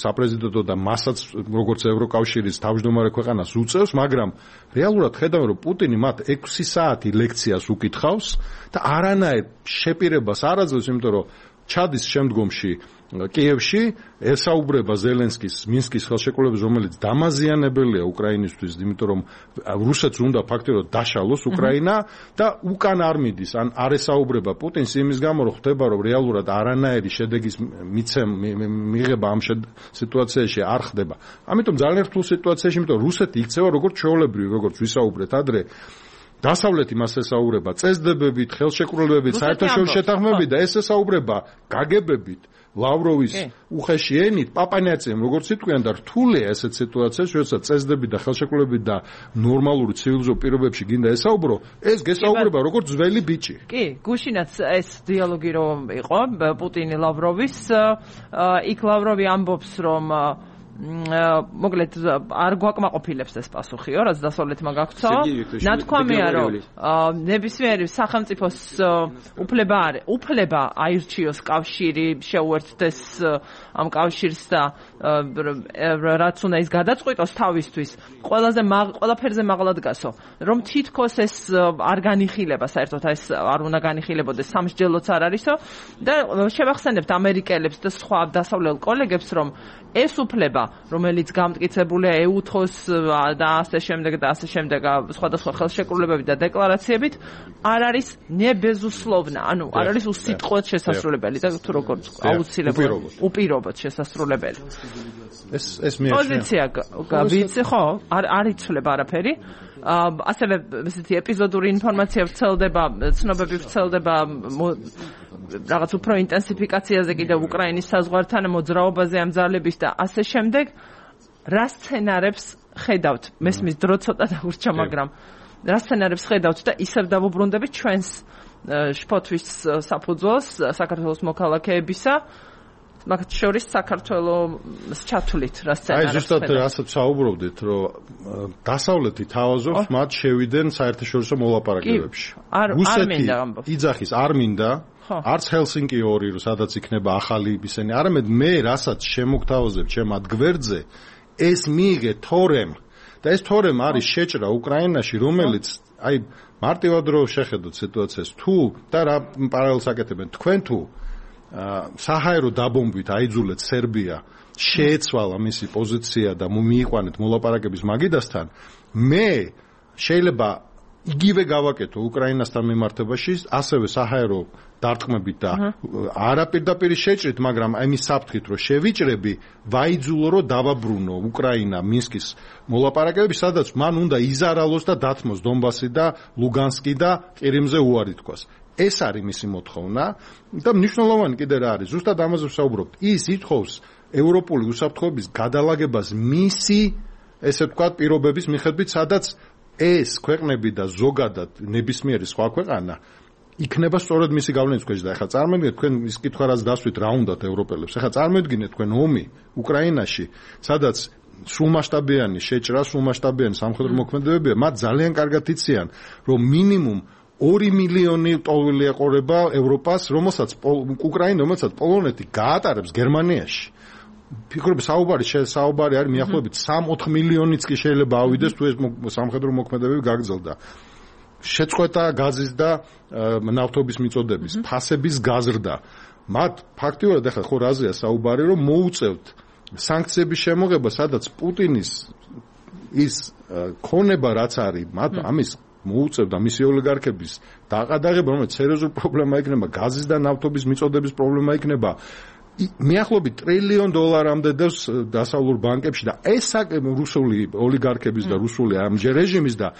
Speaker 2: საპრეზიდენტო და მასაც როგორც ევროკავშირის თავმჯდომარე ქვეყანას უწევს, მაგრამ რეალურად ხედავენ, რომ პუტინი მათ 6 საათი ლექციას უკითხავს და არანაირ შეპირებას არ აძლევს, იმიტომ რომ ჩადის შემდგომში კიევში ესაუბრება ზელენსკის მინსკის ხელშეკრულებას, რომელიც დამაზიანებელია უკრაინისთვის, იმიტომ რომ რუსეთს უნდა ფაქტობრივად დაშალოს უკრაინა და უკან არ მიდის, ან არ ესაუბრება პუტინს იმის გამო, რომ ხდება, რომ რეალურად არანაირი შედეგის მიღება ამ სიტუაციაში არ ხდება. ამიტომ ძალიან რთულ სიტუაციაში, იმიტომ რომ რუსეთი იქცევა როგორც ჩვეულებრივი, როგორც ვისაუბრეთ ადრე, დასავლეთი მას ესაუბრება წესდებებით, ხელშეკრულებებით, საერთაშორისო შეთანხმებებით და ეს ესაუბრება გაგებებით, ლავროვის უხეში ენით, პაპანიაცემ როგორც იტყვიან და რთულია ესეთ სიტუაციაში, როდესაც წესდები და ხელშეკრულებებით და ნორმალური ცივილიზო პირობებში გინდა ესაუბრო, ეს გესაუბრება როგორც ძველი ბიჭი.
Speaker 1: კი, გუშინაც ეს დიალოგი რომ იყო პუტინი ლავროვის, იქ ლავროვი ამბობს, რომ მოკლედ არ გვაკმაყოფილებს ეს პასუხიო, რაც დასავლეთმა გაქცო. ნათქვამია, რომ ნებისმიერი სახელმწიფოს უფლება აირჩიოს კავშირი, შეუერთდეს ამ კავშირს და რაც უნდა ის გადაწყვიტოს თავისთვის, ყველაფერზე მაღლა დგასო. რომ თითქოს ეს არ განიხილება, საერთოდ ეს არ უნდა განიხილებოდეს, სამსჯელოც არ არისო და შევახსენებთ ამერიკელებს და სხვა დასავლელ კოლეგებს, რომ ეს უფლება, რომელიც გამტკიცებულია EUTHOS და ასე შემდეგ სხვადასხვა ხელშეკრულებებით და დეკლარაციებით, არ არის ნებეზუსლოვნა, ანუ არ არის უსიტყვოდ შესასრულებელი და თუ როგორც აუცილებლად უპირობოდ შესასრულებელი.
Speaker 2: ეს მიაჩნია.
Speaker 1: პოზიცია ვიცი ხო? არ იცვლება არაფერი. ასევე ესეთი ეპიზოდური ინფორმაცია ვრცელდება, ცნობები ვრცელდება რაღაც უფრო ინტენსიფიკაციაზე კიდევ უკრაინის საზღვართან მოძრაობაზე ამ ძალების და ასე შემდეგ. რა სცენარებს ხედავთ? მესმის დრო ცოტა დაურჩა, მაგრამ რა სცენარებს ხედავთ და ისევ დავუბრუნდებით ჩვენს შფოთვის საფუძველს საქართველოს მოქალაქეებისა, მაგათ შორის საქართველოს ჩათვლით რა სცენარებს.
Speaker 2: აი ზუსტად რასაც საუბრობდით, რომ დასავლეთი თავაზობს მათ შევიდნენ საერთაშორისო მოლაპარაკებებში. რუსეთი იძახის არ მინდა, არც ჰელსინკი 2, სადაც იქნება ახალი ისენი, არამედ მე რასაც შემოგთავაზებ ჩემ ადგვერდზე, ეს მიიღე თორემ და ეს თორემ არის შეჭრა უკრაინაში, რომელიც აი მარტივად რო შეხედოთ სიტუაციას თუ და რა პარალელს აკეთებენ თქვენ თუ საჰაერო დაბომბვით აიძულეთ სერბია შეეცვალა მისი პოზიცია და მიიყვანეთ მოლაპარაკების მაგიდასთან მე შეიძლება იგივე გავაკეთო უკრაინასთან მიმართებაში ასევე საჰაერო დარტყმებით და არაპირდაპირ შეჭრით მაგრამ ამის საფრთხით რომ შევიჭრები ვაიძულო რომ დავაბრუნო უკრაინა მინსკის მოლაპარაკებები სადაც მან უნდა იზარალოს და დათმოს დონბასი და ლუგანსკი და ყირიმზე უარი თქვას ეს არის მისი მოთხოვნა და მნიშვნელოვანი კიდე რა არის ზუსტად ამაზე ვსაუბრობთ ის ითხოვს ევროპული უსაფრთხოების გადალაგებას მისი ესე ვთქვათ პირობების მიხედვით სადაც ეს ქვეყნები და ზოგადად ნებისმიერი სხვა ქვეყანა იქნება სწორედ მისი გავლენის ქვეშ და ახლა წარმოიდგინეთ თქვენ ის კითხვა რაც დასვით რა უნდათ ევროპელებს ახლა წარმოიდგინეთ თქვენ ომი უკრაინაში სადაც სრულმასშტაბიანი შეჭრა სრულმასშტაბიანი სამხედრო მოქმედებებია მათ ძალიან კარგად იციან რომ მინიმუმ 2 მილიონი ტოვილი ეყურება ევროპას რომელსაც უკრაინა რომელსაც პოლონეთი გაატარებს გერმანიაში ფიქრობ საუბარი არის მიახლოებით 3-4 მილიონიც კი შეიძლება ავიდეს თუ ეს სამხედრო მოქმედებები გაგრძელდა შეწყვეტა გაზის და ნავთობის მიწოდების ფასების გაზრდა მათ ფაქტიურად ახლა ხო რაზეა საუბარი რომ მოუწევთ სანქციების შემოღება სადაც პუტინის ის ქონება რაც არის მათ ამის მოუწევდა მისი ოლიგარქების დაყადაღება რომელიც სერიოზული პრობლემა იქნება გაზის და ნავთობის მიწოდების პრობლემა იქნება მიახლოებით $1 ტრილიონ დევს დასავლურ ბანკებში და ეს რუსული ოლიგარქების და რუსული რეჟიმის და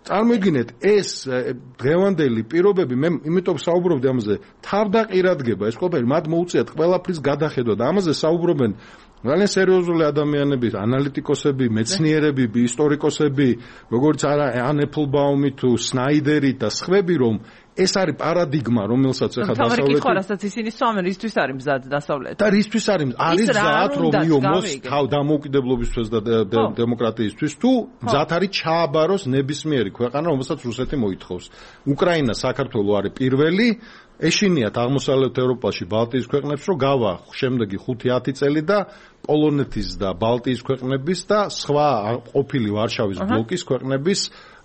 Speaker 2: წარმოიდგინეთ ეს დღევანდელი პირობები მე იმიტომ საუბრობდი ამაზე თავდაყირადგება ეს ყველაფერი მათ მოუწიათ ყველაფრის გადახედვა და ამაზე საუბრობენ ძალიან სერიოზული ადამიანები ანალიტიკოსები მეცნიერები ისტორიკოსები როგორც არა ან ეფლბაუმი თუ სნაიდერი და სხვები რომ ეს არის პარადიგმა რომელსაც ახლა დასავლეთი
Speaker 1: თავი რასაც ისინი სვამენ ისთვის არის მზად დასავლეთი
Speaker 2: და რისთვის არის მზად რომ მიომოს თავ დამოუკიდებლობისთვის და დემოკრატიისთვის თუ მზად არის ჩააბაროს ნებისმიერი ქვეყანა რომელსაც რუსეთი მოითხოვს უკრაინა საქართველო არის პირველი ეშინიათ აღმოსავლეთ ევროპაში ბალტიის ქვეყნებს რომ გავა შემდეგი 5-10 წელი და პოლონეთის და ბალტიის ქვეყნების და სხვა ყოფილი ვარშავის ბლოკის ქვეყნების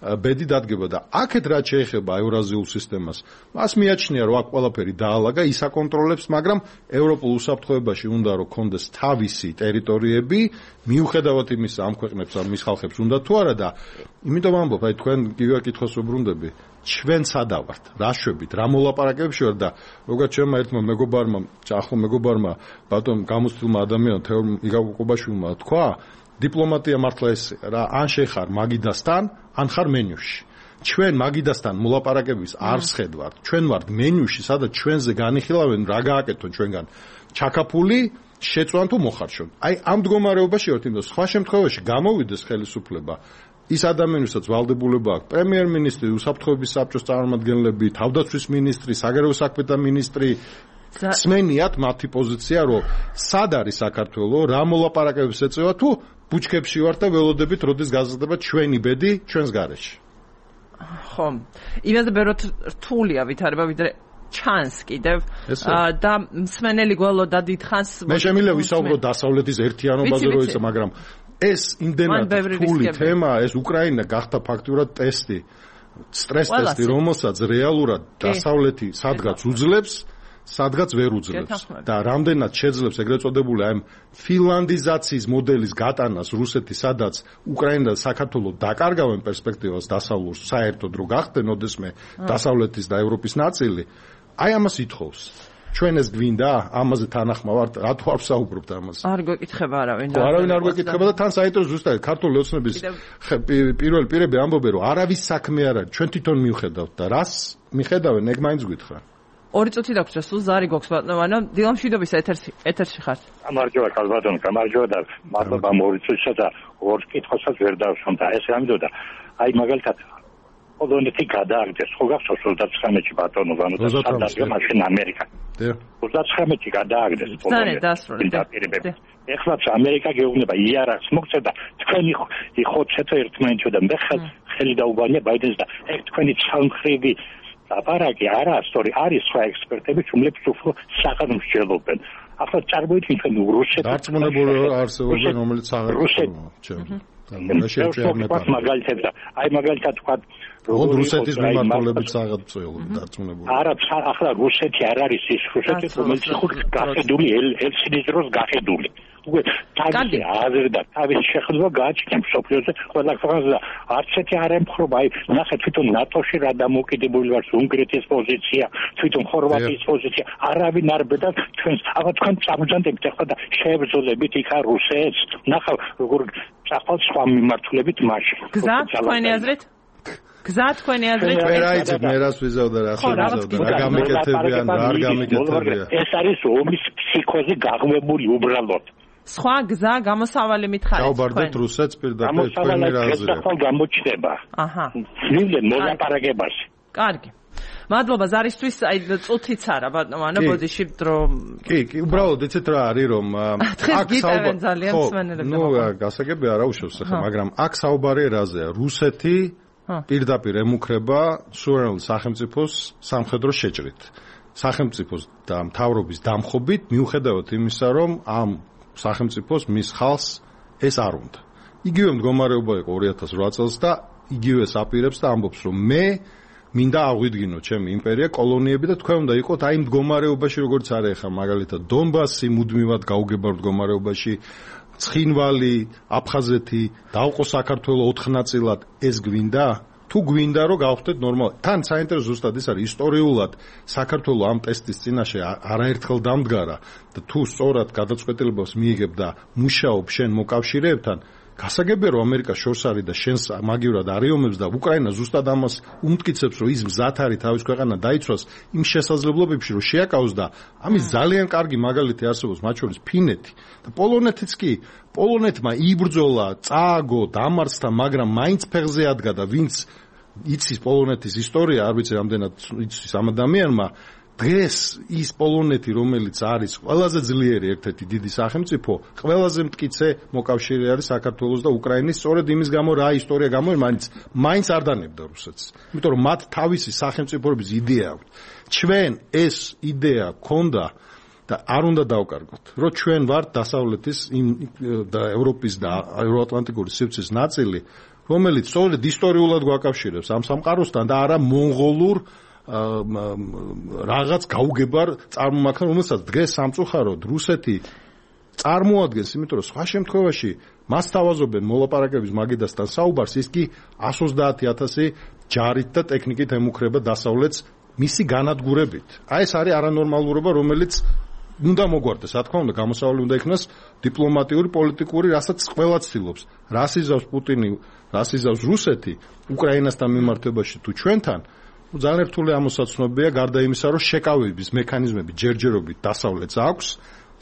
Speaker 2: ბედი დადგება და აქეთ რაც შეეხება ევრაზიულ სისტემას მას მიაჩნია რომ აქ ყველაფერი დაალაგა ის აკონტროლებს მაგრამ ევროპულ უსაფრთხოებაში უნდა რომ კონდეს თავისი ტერიტორიები მიუხედავად იმისა ამ ქვეყნებს ამ მის ხალხებს უნდა თუ არა და იმიტომ ამბობ აი თქვენ იგივე კითხოს უბრუნდები ჩვენ სადა ვართ რა შვებით რა მოლაპარაკებებში ვარ და როგორც ჩემმა ერთმა მეგობარმა ახლო მეგობარმა ბატონ გამოცდილმა ადამიანმა თეორ იგავ-კობაშვილმა თქვა დიპლომატია მართლა ეს რა ან შეხარ მაგიდასთან ან ხარ მენიუში ჩვენ მაგიდასთან მოლაპარაკების არ შეხედვართ ჩვენ ვართ მენიუში სადაც ჩვენზე განიხილავენ რა გააკეთონ ჩვენგან ჩაკაფული შეწვან თუ მოხარშონ აი ამ მდგომარეობაში ვართ იმდენ სხვა შემთხვევაში გამოვიდეს ხელისუფლება ის ადამიანებსაც ვალდებულება აქვს პრემიერ-მინისტრი უსაფრთხოების საბჭოს წარმომადგენლები თავდაცვის მინისტრი საგარეო საქმეთა მინისტრი სმენიათ მათი პოზიცია რომ სად არის საქართველო რა მოლაპარაკებებს ეწევა თუ ბუჩქებში ვართ და ველოდებით როდის გაზრდება ჩვენი ბედი ჩვენს გარეშე
Speaker 1: ხო იმაზე ბევრად რთულია ვითარება ვიდრე ჩანს კიდევ და მსმენელი გველოდა დიდხანს
Speaker 2: მე შემიძლია ვისაუბრო დასავლეთის ერთიანობაზე რო ისა მაგრამ ეს იმდენად რთული თემა ეს უკრაინა გახდა ფაქტურად ტესტი სტრეს ტესტი რომელსაც რეალურად დასავლეთი სადღაც უძლებს სადღაც ვერ უძლებს და რამდენად შეძლებს ეგრეთ წოდებული აი ფილანდიზაციის მოდელის გატანას რუსეთი სადაც უკრაინა და საქართველო დაკარგავენ პერსპექტივას დასავლურ საერთოდ რო გახდნენ ოდესმე დასავლეთის და ევროპის ნაწილი აი ამას ითხოვს ჩვენ ეს გვინდა ამაზე თანახმა ვართ რატო არ ვსაუბრობთ ამაზე
Speaker 1: არ გვეკითხება არავინ
Speaker 2: არ გვეკითხება და თან საინტერესო ზუსტად ქართული ოცნების პირველ პირები ამბობენ რომ არავის საქმე არ არის ჩვენ თვითონ მივხედავთ და რას მიხედავენ ეგ მაინც გითხრა
Speaker 1: 2 წუთი დაგვრჩა სულ ზარი გვაქვს ბატონო დილამშვიდობის ეთერში ხართ
Speaker 4: გამარჯობა კალბატონო გამარჯობა და მადლობა 2 წუთისა და 2 კითხვასაც ვერ დავშომ და ესე ამბობდა აი მაგალითად პოლონეთი გადააგდეს ხო გახსოვს 39-ში ბატონო გადააგდეს მაშინ ამერიკა 39-ში გადააგდეს პოლონეთი ეხლაც ამერიკა გეუბნება იარაღს მოგწევ და თქვენი ხოცეთ ერთმანეთში და მე ხელი დაუგანია ბაიდენს და ეგ თქვენი სამხრივი აპარატი არა სწორი არის სხვა ექსპერტები რომლებიც უფრო საყდრ მსჯელობენ ახლა წარმოიდგინეთ ჩვენ რუსეთს
Speaker 2: დარწმუნებული არსებობენ რომელიც აღარ
Speaker 4: მაგალითად აი მაგალითად თქვა
Speaker 2: რუსეთის მიმართულებით საღწევები დარწმუნებული.
Speaker 4: არა, ახლა რუსეთი არ არის ის რუსეთი, რომელიც იყო გახედული ელცინის დროს გახედული. უკვე თავისი აზრი და თავისი შეხედულება გააჩნია სოფლიოზე ყველა ქვეყანაზე და არც ერთი არ ემხრობა. აი ნახე თვითონ ნატოში რა დამოუკიდებელი ვართ, უნგრეთის პოზიცია, თვითონ ხორვატიის პოზიცია, არავინ არ ბედა ჩვენს, აბა თქვენ წამოჯანდებით ახლა და შეებრძოლებით იქა რუსეთს. ნახავ როგორ წახვალ სხვა მიმართულებით მაშინ.
Speaker 1: გზა თქვენი აზრით? გზა თქვენი აზრით?
Speaker 2: მე რას ვიზავდა რა ხდება? რა გამიკეთებიან, რა არ გამიკეთებიან.
Speaker 4: ეს არის ომის ფსიქოზი გაღვებული უბრალოდ.
Speaker 1: სხვა გზა გამოსავალი მითხარით.
Speaker 2: გავბარდეთ რუსეთს პირდაპირ თქვენი რაზეა.
Speaker 4: ახლა გამოჩნდება.
Speaker 1: აჰა.
Speaker 4: ნამდვილად მოლაპარაკებაში.
Speaker 1: კარგი. მადლობა ზარისთვის, აი წუთიც არა ბატონო, ბოდიში დრო.
Speaker 2: კი, უბრალოდ იცით რა არის რომ
Speaker 1: აქ საუბარი ძალიან მსმენელებს.
Speaker 2: ნუ გასაგებია რა უშავს ახლა, მაგრამ აქ საუბარი რაზეა? რუსეთი პირდაპირ ემუქრება სუვერენულ სახელმწიფოს სამხედრო შეჭრით. სახელმწიფოს და მთავრობის დამხობით მიუხედავად იმისა, რომ ამ სახელმწიფოს მის ხალხს ეს არ უნდა. იგივე მდგომარეობა იყო 2008 წელს და იგივეს აპირებს და ამბობს, რომ მე მინდა აღვიდგინო ჩემი იმპერია, კოლონიები და თქვენ უნდა იყოთ აი მდგომარეობაში, როგორც არის ახლა მაგალითად დონბასი მუდმივად გაუგებარ მდგომარეობაში, ცხინვალი, აფხაზეთი, დავყო საქართველო 4 ნაწილად, ეს გვინდა? თუ გვინდა რომ გავხდეთ ნორმალურად. თან საინტერესო ზუსტად ის არის ისტორიულად საქართველო ამ ტესტის წინაშე არაერთხელ დამდგარა და თუ სწორად გადაწყვეტილებას მიიღებ და მუშაობ შენ მოკავშირეებთან, გასაგებია რომ ამერიკა შორს არის და შენს მაგივრად არიომებს და უკრაინა ზუსტად ამას უმტკიცებს რომ ის მზად არის თავის ქვეყანა დაიცვას იმ შესაძლებლობებში რომ შეაკავოს და ამის ძალიან კარგი მაგალითი არსებობს მათ შორის ფინეთი და პოლონეთიც კი პოლონეთმა იბრძოლა წააგო დამარცხდა მაგრამ მაინც ფეხზე ადგა და ვინც იცის პოლონეთის ისტორია არ ვიცი რამდენად იცის ამ ადამიანმა დღეს ის პოლონეთი რომელიც არის ყველაზე ძლიერი ერთ-ერთი დიდი სახელმწიფო ყველაზე მტკიცე მოკავშირე არის საქართველოს და უკრაინის სწორედ იმის გამო რა ისტორია გამო მაინც არ დანებდა რუსეთს იმიტომ რომ მათ თავისი სახელმწიფოების იდეა აქვს ჩვენ ეს იდეა ქონდა და არ უნდა დავკარგოთ რომ ჩვენ ვართ დასავლეთის და ევროპის და ევროატლანტიკური სივრცის ნაწილი რომელიც სწორედ ისტორიულად გვაკავშირებს ამ სამყაროსთან და არა მონღოლურ რაღაც გაუგებარ წარმომადგენლს, რომელსაც დღეს სამწუხაროდ რუსეთი წარმოადგენს, იმიტომ რომ სხვა შემთხვევაში მას თავაზობენ მოლაპარაკების მაგიდასთან საუბარს, ის კი 130,000 ჯარით და ტექნიკით ემუქრება დასავლეთს მისი განადგურებით. აი ეს არის არანორმალურობა, რომელიც უნდა მოგვარდეს, რა თქმა უნდა, გამოსავალი უნდა იქნას დიპლომატიური, პოლიტიკური, რასაც ყველა ცდილობს. რას იზავს პუტინი, რას იზავს რუსეთი უკრაინასთან მიმართებაში თუ ჩვენთან ძალიან რთული ამოსაცნობია გარდა იმისა, რომ შეკავების მექანიზმები ჯერჯერობით დასავლეთს აქვს,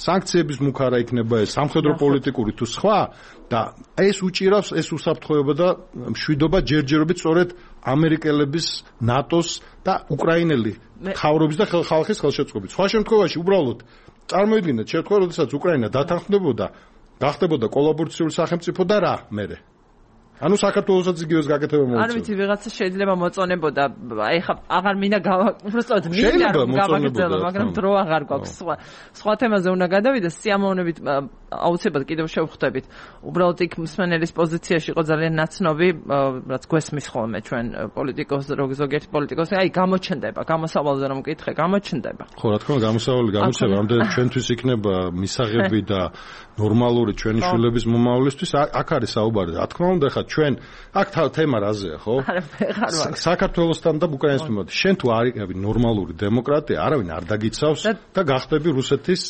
Speaker 2: სანქციების მუქარა იქნება ეს სამხედრო პოლიტიკური თუ სხვა და ეს უჭირავს ეს უსაფრთხოება და მშვიდობა ჯერჯერობით სწორედ ამერიკელების, ნატოს და უკრაინელი მთავრობის და ხალხის ხელშეწყობით. სხვა შემთხვევაში უბრალოდ წარმოიდგინეთ შემთხვევა, როდესაც უკრაინა დათანხმდებოდა, გახდებოდა კოლაბორაციული სახელმწიფო და რა მერე ანუ საქართველოსაც იგივეს გაკეთება მოუწევს. არ
Speaker 1: ვიცი, ვიღაცა შეიძლება მოწონებოდა, აი ხა აღარ მინდა უბრალოდ მინდა გავაგრძელო, მაგრამ დრო აღარ გვაქვს. სხვა თემაზე უნდა გადავიდე, სიამოვნებით აუცილებლად კიდევ შევხვდებით. უბრალოდ იქ მსმენელის პოზიციაში იყო ძალიან ნაცნობი, რაც გვესმის ხოლმე ჩვენ პოლიტიკოს, ზოგიერთი პოლიტიკოსი, აი გამოჩნდება, გამოსავალზე რომ მკითხე, გამოჩნდება.
Speaker 2: ხო, რა თქმა უნდა, გამოსავალი გამოსება, ამდენ ჩვენთვის იქნება მისაღები და ნორმალური ჩვენი შვილების მომავლისთვის აქ არის საუბარი. რა თქმა უნდა, ხა ჩვენ აქ თემა რაზეა, ხო? საქართველოსთან და უკრაინის მიმართ. შენ თუ არ იყავი ნორმალური დემოკრატია, არავინ არ დაგიცავს და გახდები რუსეთის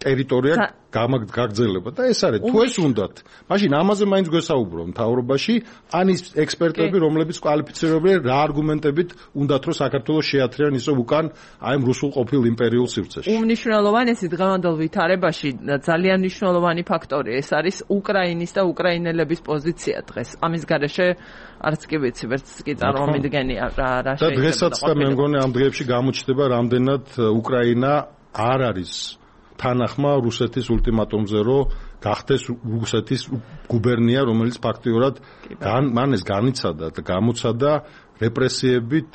Speaker 2: ტერიტორია გაგრძელება და ეს არის თუ ეს უნდათ. მაშინ ამაზე მაინც გვესაუბრო მთავრობაში, ან ის ექსპერტები, რომლებიც კვალიფიცირებენ რა არგუმენტებით უნდათ რომ საქართველოს შეათრიან ისო უკან აი ამ რუსულ ყოფილ იმპერიულ სივრცეში.
Speaker 1: უმნიშვნელოვანესი დღევანდელ ვითარებაში ძალიან მნიშვნელოვანი ფაქტორი ეს არის უკრაინის და უკრაინელების პოზიცია დღეს. ამის გარეშე არც კი ვიცი, ვერც კი წარმომიდგენია რა
Speaker 2: შეიძლება. და დღესაც და მე მგონი ამ დღეებში გამოჩნდება რამდენად უკრაინა არ არის თანახმა რუსეთის ულტიმატუმზე რომ გახდეს რუსეთის გუბერნია, რომელიც ფაქტიურად მან ეს განიცადა და გამოცადა რეპრესიებით,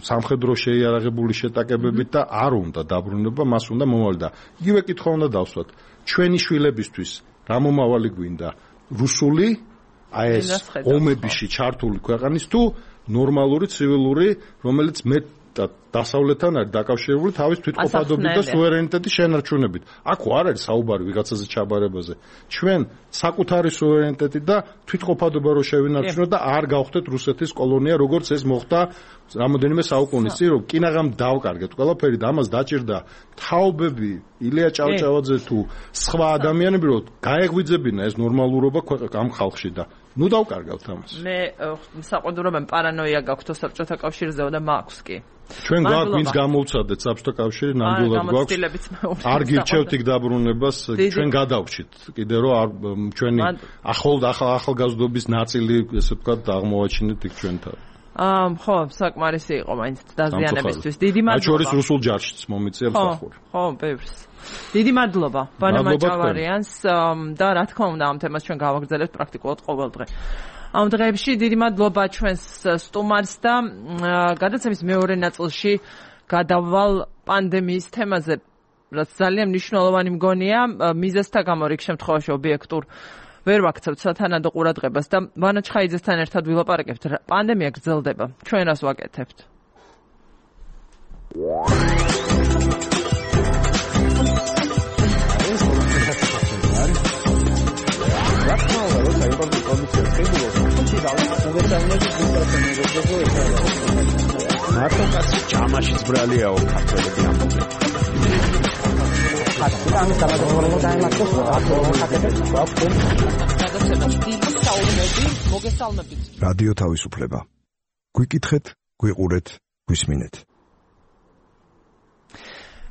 Speaker 2: სამხედრო შეიარაღებული შეტაკებებით და არ უნდა დაბრუნება, მას უნდა მომავალი და იგივე კითხვა უნდა დავსვათ. ჩვენი შვილებისთვის რა მომავალი გვინდა? რუსული აი ეს ომებიში ჩართული ქვეყნის თუ ნორმალური ცივილური, რომელიც დასავლეთთან არის დაკავშირებული თავის თვითყოფადობით და სუვერენიტეტის შენარჩუნებით. აქ არ არის საუბარი ვიღაცაზე ჩაბარებაზე. ჩვენ საკუთარი სუვერენიტეტი და თვითყოფადობა რო შევინარჩუნოთ და არ გავხდეთ რუსეთის კოლონია, როგორც ეს მოხდა რამოდენიმე საუკუნის წინ, რომ კინაღამ დავკარგეთ ყველაფერი და ამას დაჭირდა თაობები, ილია ჭავჭავაძე თუ სხვა ადამიანები, რომ გაეღვიძებინა ეს ნორმალურობა ამ ხალხში და ნუ დავკარგავთ ამას.
Speaker 1: მე საყოველთაოდ პარანოია გაქვთ საბჭოთა კავშირზე და მაქვს კი.
Speaker 2: ჩვენ გვაქვს ვინც გამოვცადეთ საბჭოთა კავშირი, ნამდვილად გვაქვს. არ გირჩევთ იქ დაბრუნებას, ჩვენ გადავჭით. კიდე რომ ჩვენი ახალგაზრდობის ნაწილი, ესე ვთქვათ, აღმოვაჩინეთ იქ ჩვენთან.
Speaker 1: ხო, საკმარისი იყო მაინც დაზიანებისთვის. დიდი მადლობა.
Speaker 2: მათ შორის რუსულ ჯარშიც მომიწია მსახური.
Speaker 1: ხო, ბევრს. დიდი მადლობა ბანა მაჭავარიანს და რა თქმა უნდა ამ თემას ჩვენ გავაგრძელებთ პრაქტიკულად ყოველ დღე. ამ დღეებში დიდი მადლობა ჩვენს სტუმარს და გადაცემის მეორე ნაწილში გადავალ პანდემიის თემაზე, რაც ძალიან მნიშვნელოვანი მგონია მიზეზთა გამო რიგ შემთხვევაში ობიექტურ ვერ ვაქცევთ სათანადო ყურადღებას და ვანა ჩხაიძესთან ერთად ვილაპარაკებთ. პანდემია გრძელდება. ჩვენ რას ვაკეთებთ?
Speaker 5: მარტოკაცი ჯამაშიც ბრალიაო ქართველები ამბობენ. რადიო თავისუფლება. გვიკითხეთ, გვიყურეთ, გვისმინეთ.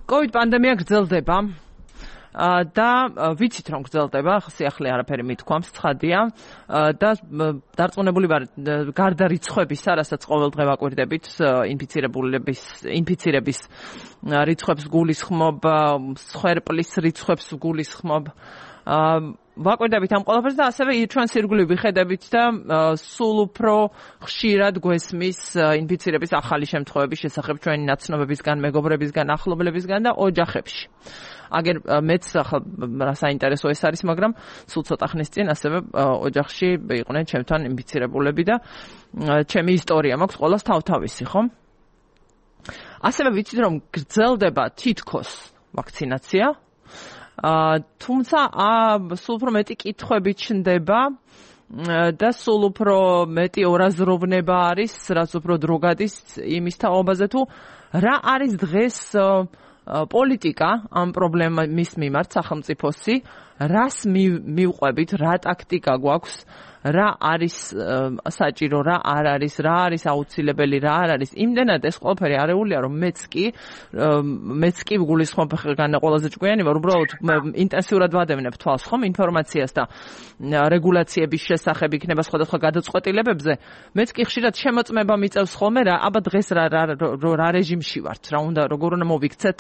Speaker 1: COVID პანდემია გრძელდება. და ვიცით რომ გრძელდება, სიახლე არაფერი მithქვამს, ცხადია და დარწმუნებული ვარ გარდა რიცხვებისა, რასაც ყოველ დღე ვაკვირდებით, ინფიცირების რიცხვებს გულისხმობ, სხერპლის რიცხვებს გულისხმობ, ვაკვირდებით ამ ყველაფერს და ასევე ჩვენს ირგვლივ ვიხედებით და სულ უფრო ხშირად გვესმის ინფიცირების ახალი შემთხვევების შესახებ ჩვენი ნაცნობებისგან, მეგობრებისგან, ახლობლებისგან და ოჯახებში. აგერ მეც ახლა რა საინტერესო ეს არის, მაგრამ სულ ცოტა ხნის წინ ასევე ოჯახში იყვნენ ჩემთან ინფიცირებულები და ჩემი ისტორია მაქვს ყველას თავთავისი, ხო? ასევე ვიცით რომ გრძელდება თითქოს ვაქცინაცია. თუმცა სულ უფრო მეტი კითხვები ჩნდება და სულ უფრო მეტი ორაზროვნება არის, რაც უფრო დრო გადის იმის თაობაზე თუ რა არის დღეს პოლიტიკა ამ პრობლემის მიმართ სახელმწიფოსი, რას მივყვებით, რა ტაქტიკა გვაქვს, რა არის საჭირო, რა არ არის, რა არის აუცილებელი, რა არ არის. იმდენად ეს ყველაფერი არეულია, რომ მეც კი გულისხმობ განა ყველაზე ჭკვიანი ვარ, უბრალოდ ინტენსიურად ვადევნებ თვალს ხომ ინფორმაციას და რეგულაციების შესახებ იქნება სხვადასხვა გადაწყვეტილებებზე. მეც კი ხშირად შემოწმება მიწევს ხოლმე რა, აბა დღეს რა რეჟიმში ვართ, რა უნდა როგორ უნდა მოვიქცეთ,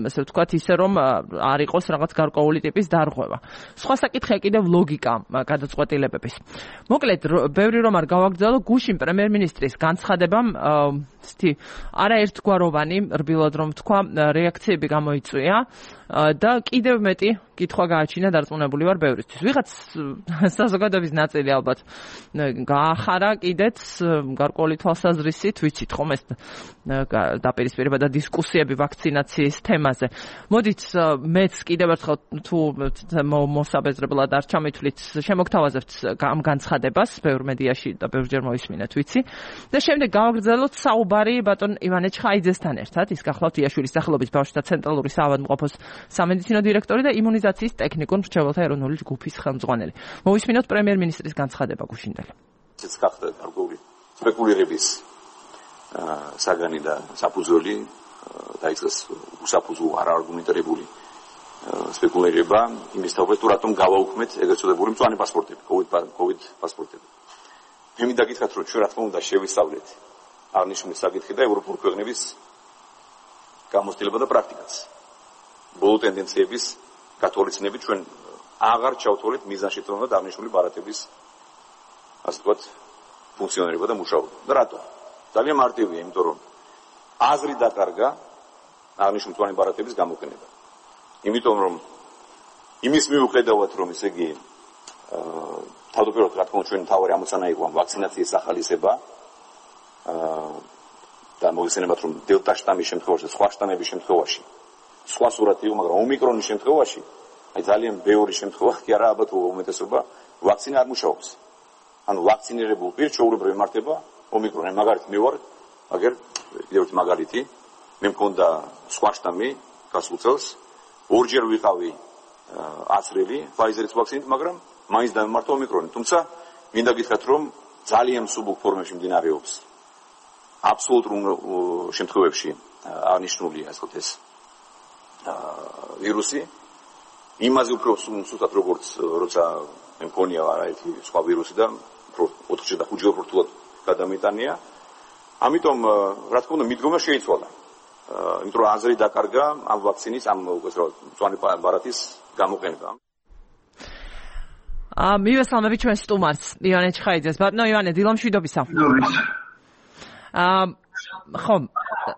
Speaker 1: ესე ვთქვათ, ისე რომ არ იყოს რაღაც გარკვეული ტიპის დარღვევა. სხვა საკითხია კიდევ ლოგიკა გადაწყვეტილებების. მოკლედ, ბევრი რომ არ გავაგრძელო, გუშინ პრემიერ-მინისტრის განცხადებამ არაერთგვაროვანი, რბილად რომ თქვა, რეაქციები გამოიწვია და კიდევ მეტი კითხვა გააჩინა, დარწმუნებული ვარ ბევრისთვის. ვიღაც საზოგადოების ნაწილი ალბათ გაახარა კიდეც გარკვეული თვალსაზრისით, ვიცით ხომ ეს დაპირისპირება და დისკუსიები ვაქცინაციის თემაზე. მოდით მეც კიდევ ერთხელ თუ მოსაბეზრებლად არ ჩამithვლით, შემოგთავაზებთ ამ განცხადებას ბევრ მედიაში და ბევრჯერ მოვისმინეთ, ვიცი. და შემდეგ გავაგრძელოთ საუბარი ბატონ ივანე ჩხაიძესთან ერთად, ის გახლავთ იაშვილის სახელობის ბავშვთა ცენტრალური საავადმყოფოს სამედიცინო დირექტორი და იმუნიზაციის ტექნიკურ მრჩეველთა ეროვნული ჯგუფის ხელმძღვანელი. მოვისმინოთ პრემიერ-მინისტრის განცხადება გუშინდელი.
Speaker 6: ეს გახდა გარკვეული სპეკულირების საგანი და საფუძველი დაიწყეს უსაფუძო არაარგუმენტირებული სპეკულირება იმის თაობაზე თუ რატომ გავაუქმეთ ეგრეთ წოდებული მწვანე პასპორტები, COVID პასპორტები. მე მინდა გითხრათ რომ ჩვენ რა თქმა უნდა შევისწავლეთ აღნიშნული საკითხი და ევროპული ქვეყნების გამოცდილება და პრაქტიკაც. ბოლო ტენდენციების გათვალისწინებით ჩვენ აღარ ჩავთვალეთ მიზანში რომ აღნიშნული ბარათების ასე ვთქვათ ფუნქციონირება და მუშაობა. და რატო? ძალიან მარტივია, იმიტომ რომ აზრი დაკარგა აღნიშნული მწვანე ბარათების გამოყენება. იმიტომ რომ იმის მიუხედავად რომ ესე იგი თავდაპირველად რა თქმა უნდა ჩვენი თავი ამოცანა იყო ვაქცინაციის ახალისება და მოიხსენებათ რომ დელტა შტამის შემთხვევაში, სხვა შტამების შემთხვევაში სხვა სურათი იყო, მაგრამ ომიკრონის შემთხვევაში აი ძალიან ბევრი შემთხვევა კი არა ალბათ უმეტესობა ვაქცინა არ მუშაობს. ანუ ვაქცინირებულ პირს ჩვეულებრივ ემართება ომიკრონი. მაგალითად მე ვარ, აგერ კიდევ ერთი მაგალითი, მე მქონდა სხვა შტამი გასულ წელს, ორჯერ ვიყავი აცრელი ფაიზერის ვაქცინით, მაგრამ მაინც დამემართა ომიკრონი. თუმცა მინდა გითხრათ რომ ძალიან მსუბუქ ფორმებში მიმდინარეობს. აბსოლუტურ შემთხვევებში აღნიშნულია ასე ვთქვათ ეს ვირუსი. იმაზე უფრო სუსტად როგორც როცა მე მქონია არაერთი სხვა ვირუსი და 4-ჯერ და 5-ჯერ უფრო გადამიტანია. ამიტომ რა თქმა უნდა მიდგომა შეიცვალა. იმიტომ რომ აზრი დაკარგა ამ ვაქცინის ამ მწვანე ბარათის გამოყენება.
Speaker 1: მივესალმებით ჩვენ სტუმარს ივანე ჩხაიძეს. ბატონო ივანე, დილომშვიდობისა. ხო,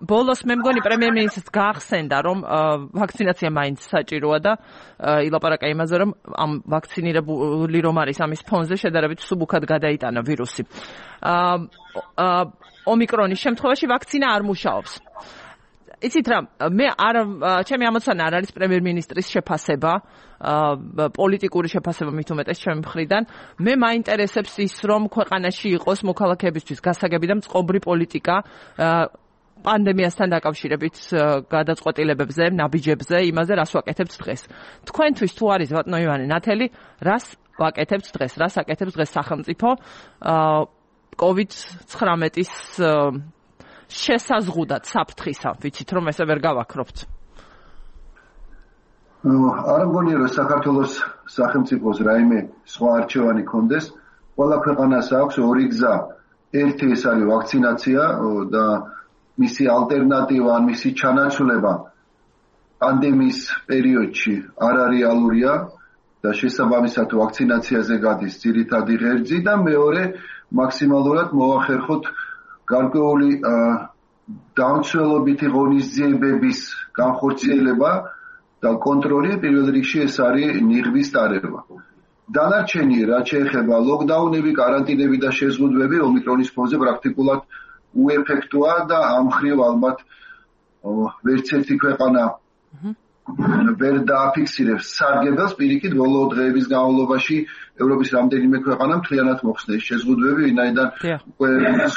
Speaker 1: ბოლოს მე მგონი პრემიერ-მინისტრს გაახსენდა, რომ ვაქცინაცია მაინც საჭიროა და ილაპარაკა იმაზე, რომ ამ ვაქცინირებული რომ არის ამის ფონზე შედარებით სუბუქად გადაიტანა ვირუსი. ომიკრონის შემთხვევაში ვაქცინა არ მუშაობს. იცით რა, მე ჩემი ამოცანა არ არის პრემიერ-მინისტრის შეფასება, პოლიტიკური შეფასება მით უმეტეს ჩემი მხრიდან. მე მაინტერესებს ის, რომ ქვეყანაში იყოს მოქალაქეებისთვის გასაგები და წყობრი პოლიტიკა პანდემიასთან დაკავშირებით გადაწყვეტილებებზე, ნაბიჯებზე, იმაზე რას ვაკეთებთ დღეს. თქვენთვის თუ არის ბატონო ივანე ნათელი, რას ვაკეთებთ დღეს, რას აკეთებს დღეს სახელმწიფო COVID-19-ის შესაზღუდად საფრთხისა, ვიცით რომ ესე ვერ გავაქრობთ.
Speaker 7: არ მგონია რომ საქართველოს სახელმწიფოს რაიმე სხვა არჩევანი კონდეს, ყველა ქვეყანას აქვს ორი გზა. ერთი ეს არის ვაქცინაცია და მისი ალტერნატივა, მისი ჩანაცვლება პანდემიის პერიოდში არარეალურია და შესაბამისად ვაქცინაციაზე გადის ძირითადი ღერძი და მეორე მაქსიმალურად მოახერხოთ გარკვეული დამცველობითი ღონისძიებების განხორციელება და კონტროლი პირველ რიგში ეს არის ნიღბის ტარება. დანარჩენი რაც შეეხება ლოკდაუნები, კარანტინები და შეზღუდვები ომიკრონის ფონზე პრაქტიკულად უეფექტოა და ამ მხრივ ალბათ ვერც ერთი ქვეყანა ვერ დააფიქსირებს სარგებელს. პირიქით ბოლო დღეების განმავლობაში ევროპის რამდენიმე ქვეყანა მთლიანად მოხსნა ეს შეზღუდვები, ვინაიდან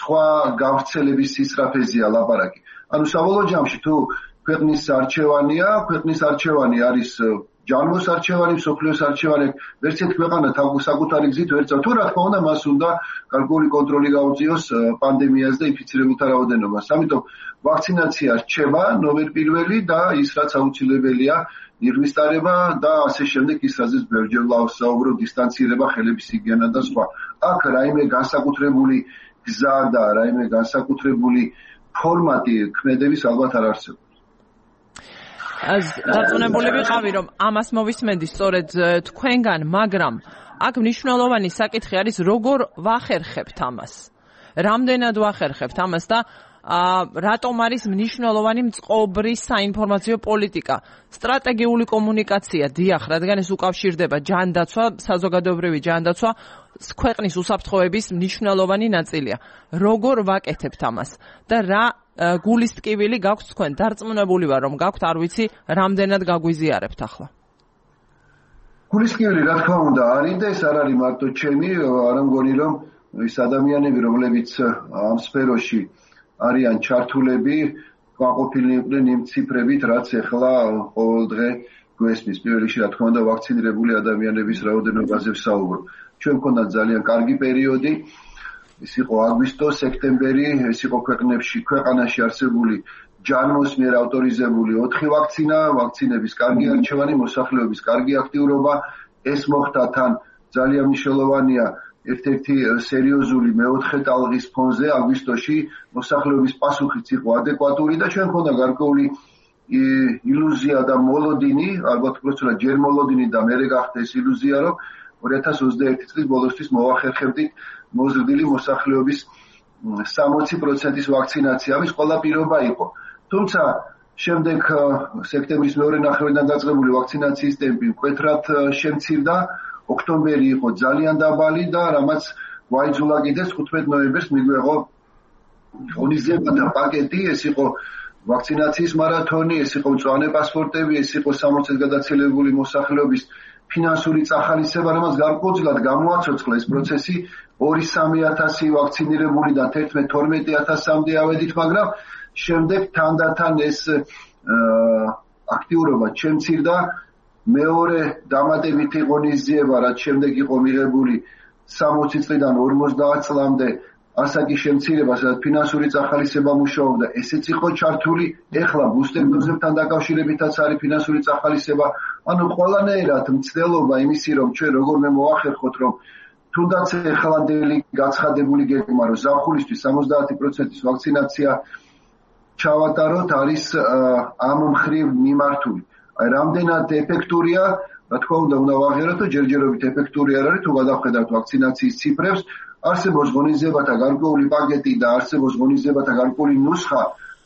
Speaker 7: სხვა გავრცელების სისწრაფეზეა ლაპარაკი. ანუ საბოლოო ჯამში თუ ქვეყნის არჩევანი არის ჯანმოს არჩევანი, მსოფლიოს არჩევანი, ვერც ერთი ქვეყანა საკუთარი გზით ვერ წავ. თუ რა თქმა უნდა, მას უნდა გარკვეული კონტროლი გაუწიოს პანდემიას და ინფიცირებულთა რაოდენობას. ამიტომ ვაქცინაცია რჩება ნომერ პირველი და ის რაც აუცილებელია ნიღბის ტარება და ასე შემდეგ ის რაზეც ბევრჯერ ვსაუბრობ დისტანცირება, ხელების ჰიგიენა და სხვა. აქ რაიმე განსაკუთრებული გზა და რაიმე განსაკუთრებული ფორმატი ქმედების ალბათ არ არსებობს.
Speaker 1: დარწმუნებული ვიყავი, რომ ამას მოვისმენდი სწორედ თქვენგან, მაგრამ აქ მნიშვნელოვანი საკითხი არის, როგორ ვახერხებთ ამას. რამდენად ვახერხებთ ამას და რატომ არის მნიშვნელოვანი მწყობრი საინფორმაციო პოლიტიკა, სტრატეგიული კომუნიკაცია, დიახ, რადგან ეს უკავშირდება ჯანდაცვა, საზოგადოებრივი ჯანდაცვა, ქვეყნის უსაფრთხოების მნიშვნელოვანი ნაწილია. როგორ ვაკეთებთ ამას და რა გულის ტკივილი გაქვთ თქვენ? დარწმუნებული ვარ, რომ გაქვთ, არ ვიცი, რამდენად გაგვიზიარებთ ახლა.
Speaker 7: გულის ტკივილი რა თქმა უნდა არის და ეს არ არის მარტო ჩემი, არ მგონი რომ ის ადამიანები, რომლებიც ამ სფეროში არიან ჩართულები, გაყოფილნი იყვნენ იმ ციფრებით, რაც ახლა ყოველდღე გვესმის. პირველ რიგში რა თქმა უნდა ვაქცინირებული ადამიანების რაოდენობაზე ვსაუბრობ. ჩვენ მქონდა ძალიან კარგი პერიოდი. ეს იყო აგვისტო, სექტემბერი, ეს იყო ქვეყანაში არსებული ჯანმოს მიერ ავტორიზებული 4 ვაქცინების კარგი არჩევანი, მოსახლეობის კარგი აქტიურობა. ეს მოხდა თან ძალიან მნიშვნელოვანია ერთ-ერთი სერიოზული მეოთხე ტალღის ფონზე აგვისტოში მოსახლეობის პასუხიც იყო ადეკვატური და ჩვენ მქონდა გარკვეული ილუზია და მოლოდინი, ალბათ უბრალოდ ჯერ მოლოდინი და მერე გახდა ეს ილუზია, რომ 2021 წლის ბოლოსთვის მოვახერხებდით მოზრდილი მოსახლეობის 60%-ის ვაქცინაცია. ამის ყველა პირობა იყო. თუმცა შემდეგ სექტემბრის მეორე ნახევრიდან დაწყებული ვაქცინაციის ტემპი მკვეთრად შემცირდა. ოქტომბერი იყო ძალიან დაბალი და რამაც გვაიძულა კიდეც 15 ნოემბერს მიგვეღო ღონისძიებათა პაკეტი, ეს იყო ვაქცინაციის მარათონი, ეს იყო მწვანე პასპორტები, ეს იყო 60-ით გადაცილებული მოსახლეობის ფინანსური წახალისება, რამაც გარკვეულწილად გამოაცოცხლა ეს პროცესი 2-3 ვაქცინირებულიდან 11-12,000-მდე ავედით, მაგრამ შემდეგ თანდათან ეს აქტიურობა შემცირდა. მეორე დამატებითი ღონისძიება, რაც შემდეგ იყო მიღებული 60 წლიდან 50 წლამდე, ასაკის შემცირება, სადაც ფინანსური წახალისება მუშაობდა, ესეც იყო ჩართული. ეხლა ბუსტერ დოზებთან დაკავშირებითაც არის ფინანსური წახალისება. ანუ ყველანაირად მცდელობა იმისი, რომ ჩვენ როგორმე მოახერხოთ, რომ თუნდაც ეხლანდელი გაცხადებული გეგმა, რომ ზაფხულისთვის 70%-ის ვაქცინაცია ჩავატაროთ, არის ამ მხრივ მიმართული. აი რამდენად ეფექტურია, რა თქმა უნდა ვაღიაროთ, რომ ჯერჯერობით ეფექტური არ არის, თუ გადავხედავთ ვაქცინაციის ციფრებს. არსებობს ღონისძიებათა გარკვეული პაკეტი და არსებობს ღონისძიებათა გარკვეული ნუსხა,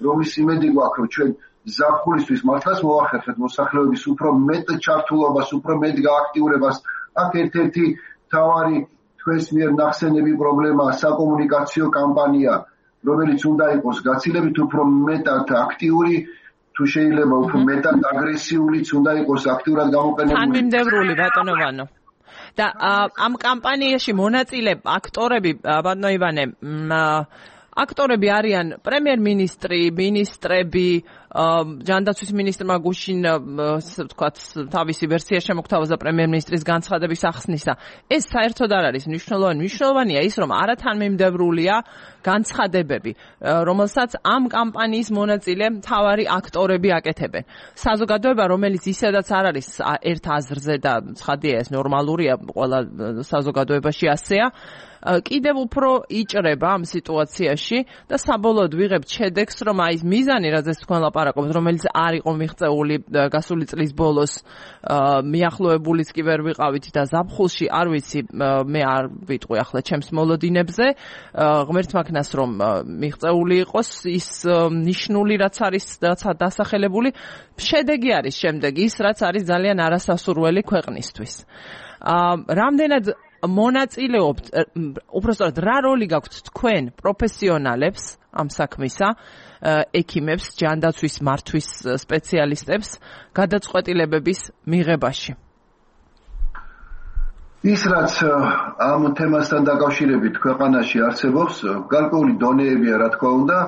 Speaker 7: რომლის იმედი გვაქვს, რომ ჩვენ ზაფხულისთვის მართლაც მოახერხეთ მოსახლეობის უფრო მეტ ჩართულობას, უფრო მეტ გააქტიურებას. აქ ერთ-ერთი მთავარი თქვენს მიერ ნახსენები პრობლემაა საკომუნიკაციო კამპანია, რომელიც უნდა იყოს გაცილებით უფრო მეტად აქტიური, თუ შეიძლება უფრო მეტად აგრესიულიც უნდა იყოს აქტიურად გამოყენებული.
Speaker 1: თანმიმდევრული ბატონო ვანო. და ამ კამპანიაში მონაწილე აქტორები, ბატონო ივანე, აქტორები არიან პრემიერ-მინისტრი, მინისტრები, ჯანდაცვის მინისტრმა გუშინ ვთქვათ თავისი ვერსია შემოგთავაზა პრემიერ-მინისტრის განცხადების ახსნისა. ეს საერთოდ არ არის მნიშვნელოვანი. მნიშვნელოვანია ის, რომ არათანმიმდევრულია განცხადებები, რომელსაც ამ კამპანიის მონაწილე მთავარი აქტორები აკეთებენ. საზოგადოება, რომელიც ისედაც არ არის ერთ აზრზე და ცხადია ეს ნორმალურია, ყველა საზოგადოებაში ასეა, კიდევ უფრო იჭრება ამ სიტუაციაში და საბოლოოდ ვიღებთ შედეგს, რომ აი ეს მიზანი, რაზეც თქვენ ლაპარაკობთ, რომელიც არ იყო მიღწეული გასული წლის ბოლოს, მიახლოებულიც კი ვერ ვიყავით და ზაფხულში არ ვიცი, მე არ ვიტყვი ახლა ჩემს მოლოდინებზე, ღმერთმა ქნას რომ მიღწეული იყოს ის ნიშნული, რაც არის დასახელებული, შედეგი არის შემდეგ ის, რაც არის ძალიან არასასურველი ქვეყნისთვის. რამდენად მონაწილეობთ, უბრალოდ რა როლი გაქვთ თქვენ პროფესიონალებს ამ საქმისა, ექიმებს, ჯანდაცვის მართვის სპეციალისტებს გადაწყვეტილებების მიღებაში?
Speaker 7: ის რაც ამ თემასთან დაკავშირებით ქვეყანაში არსებობს, გარკვეული დონეებია, რა თქმა უნდა,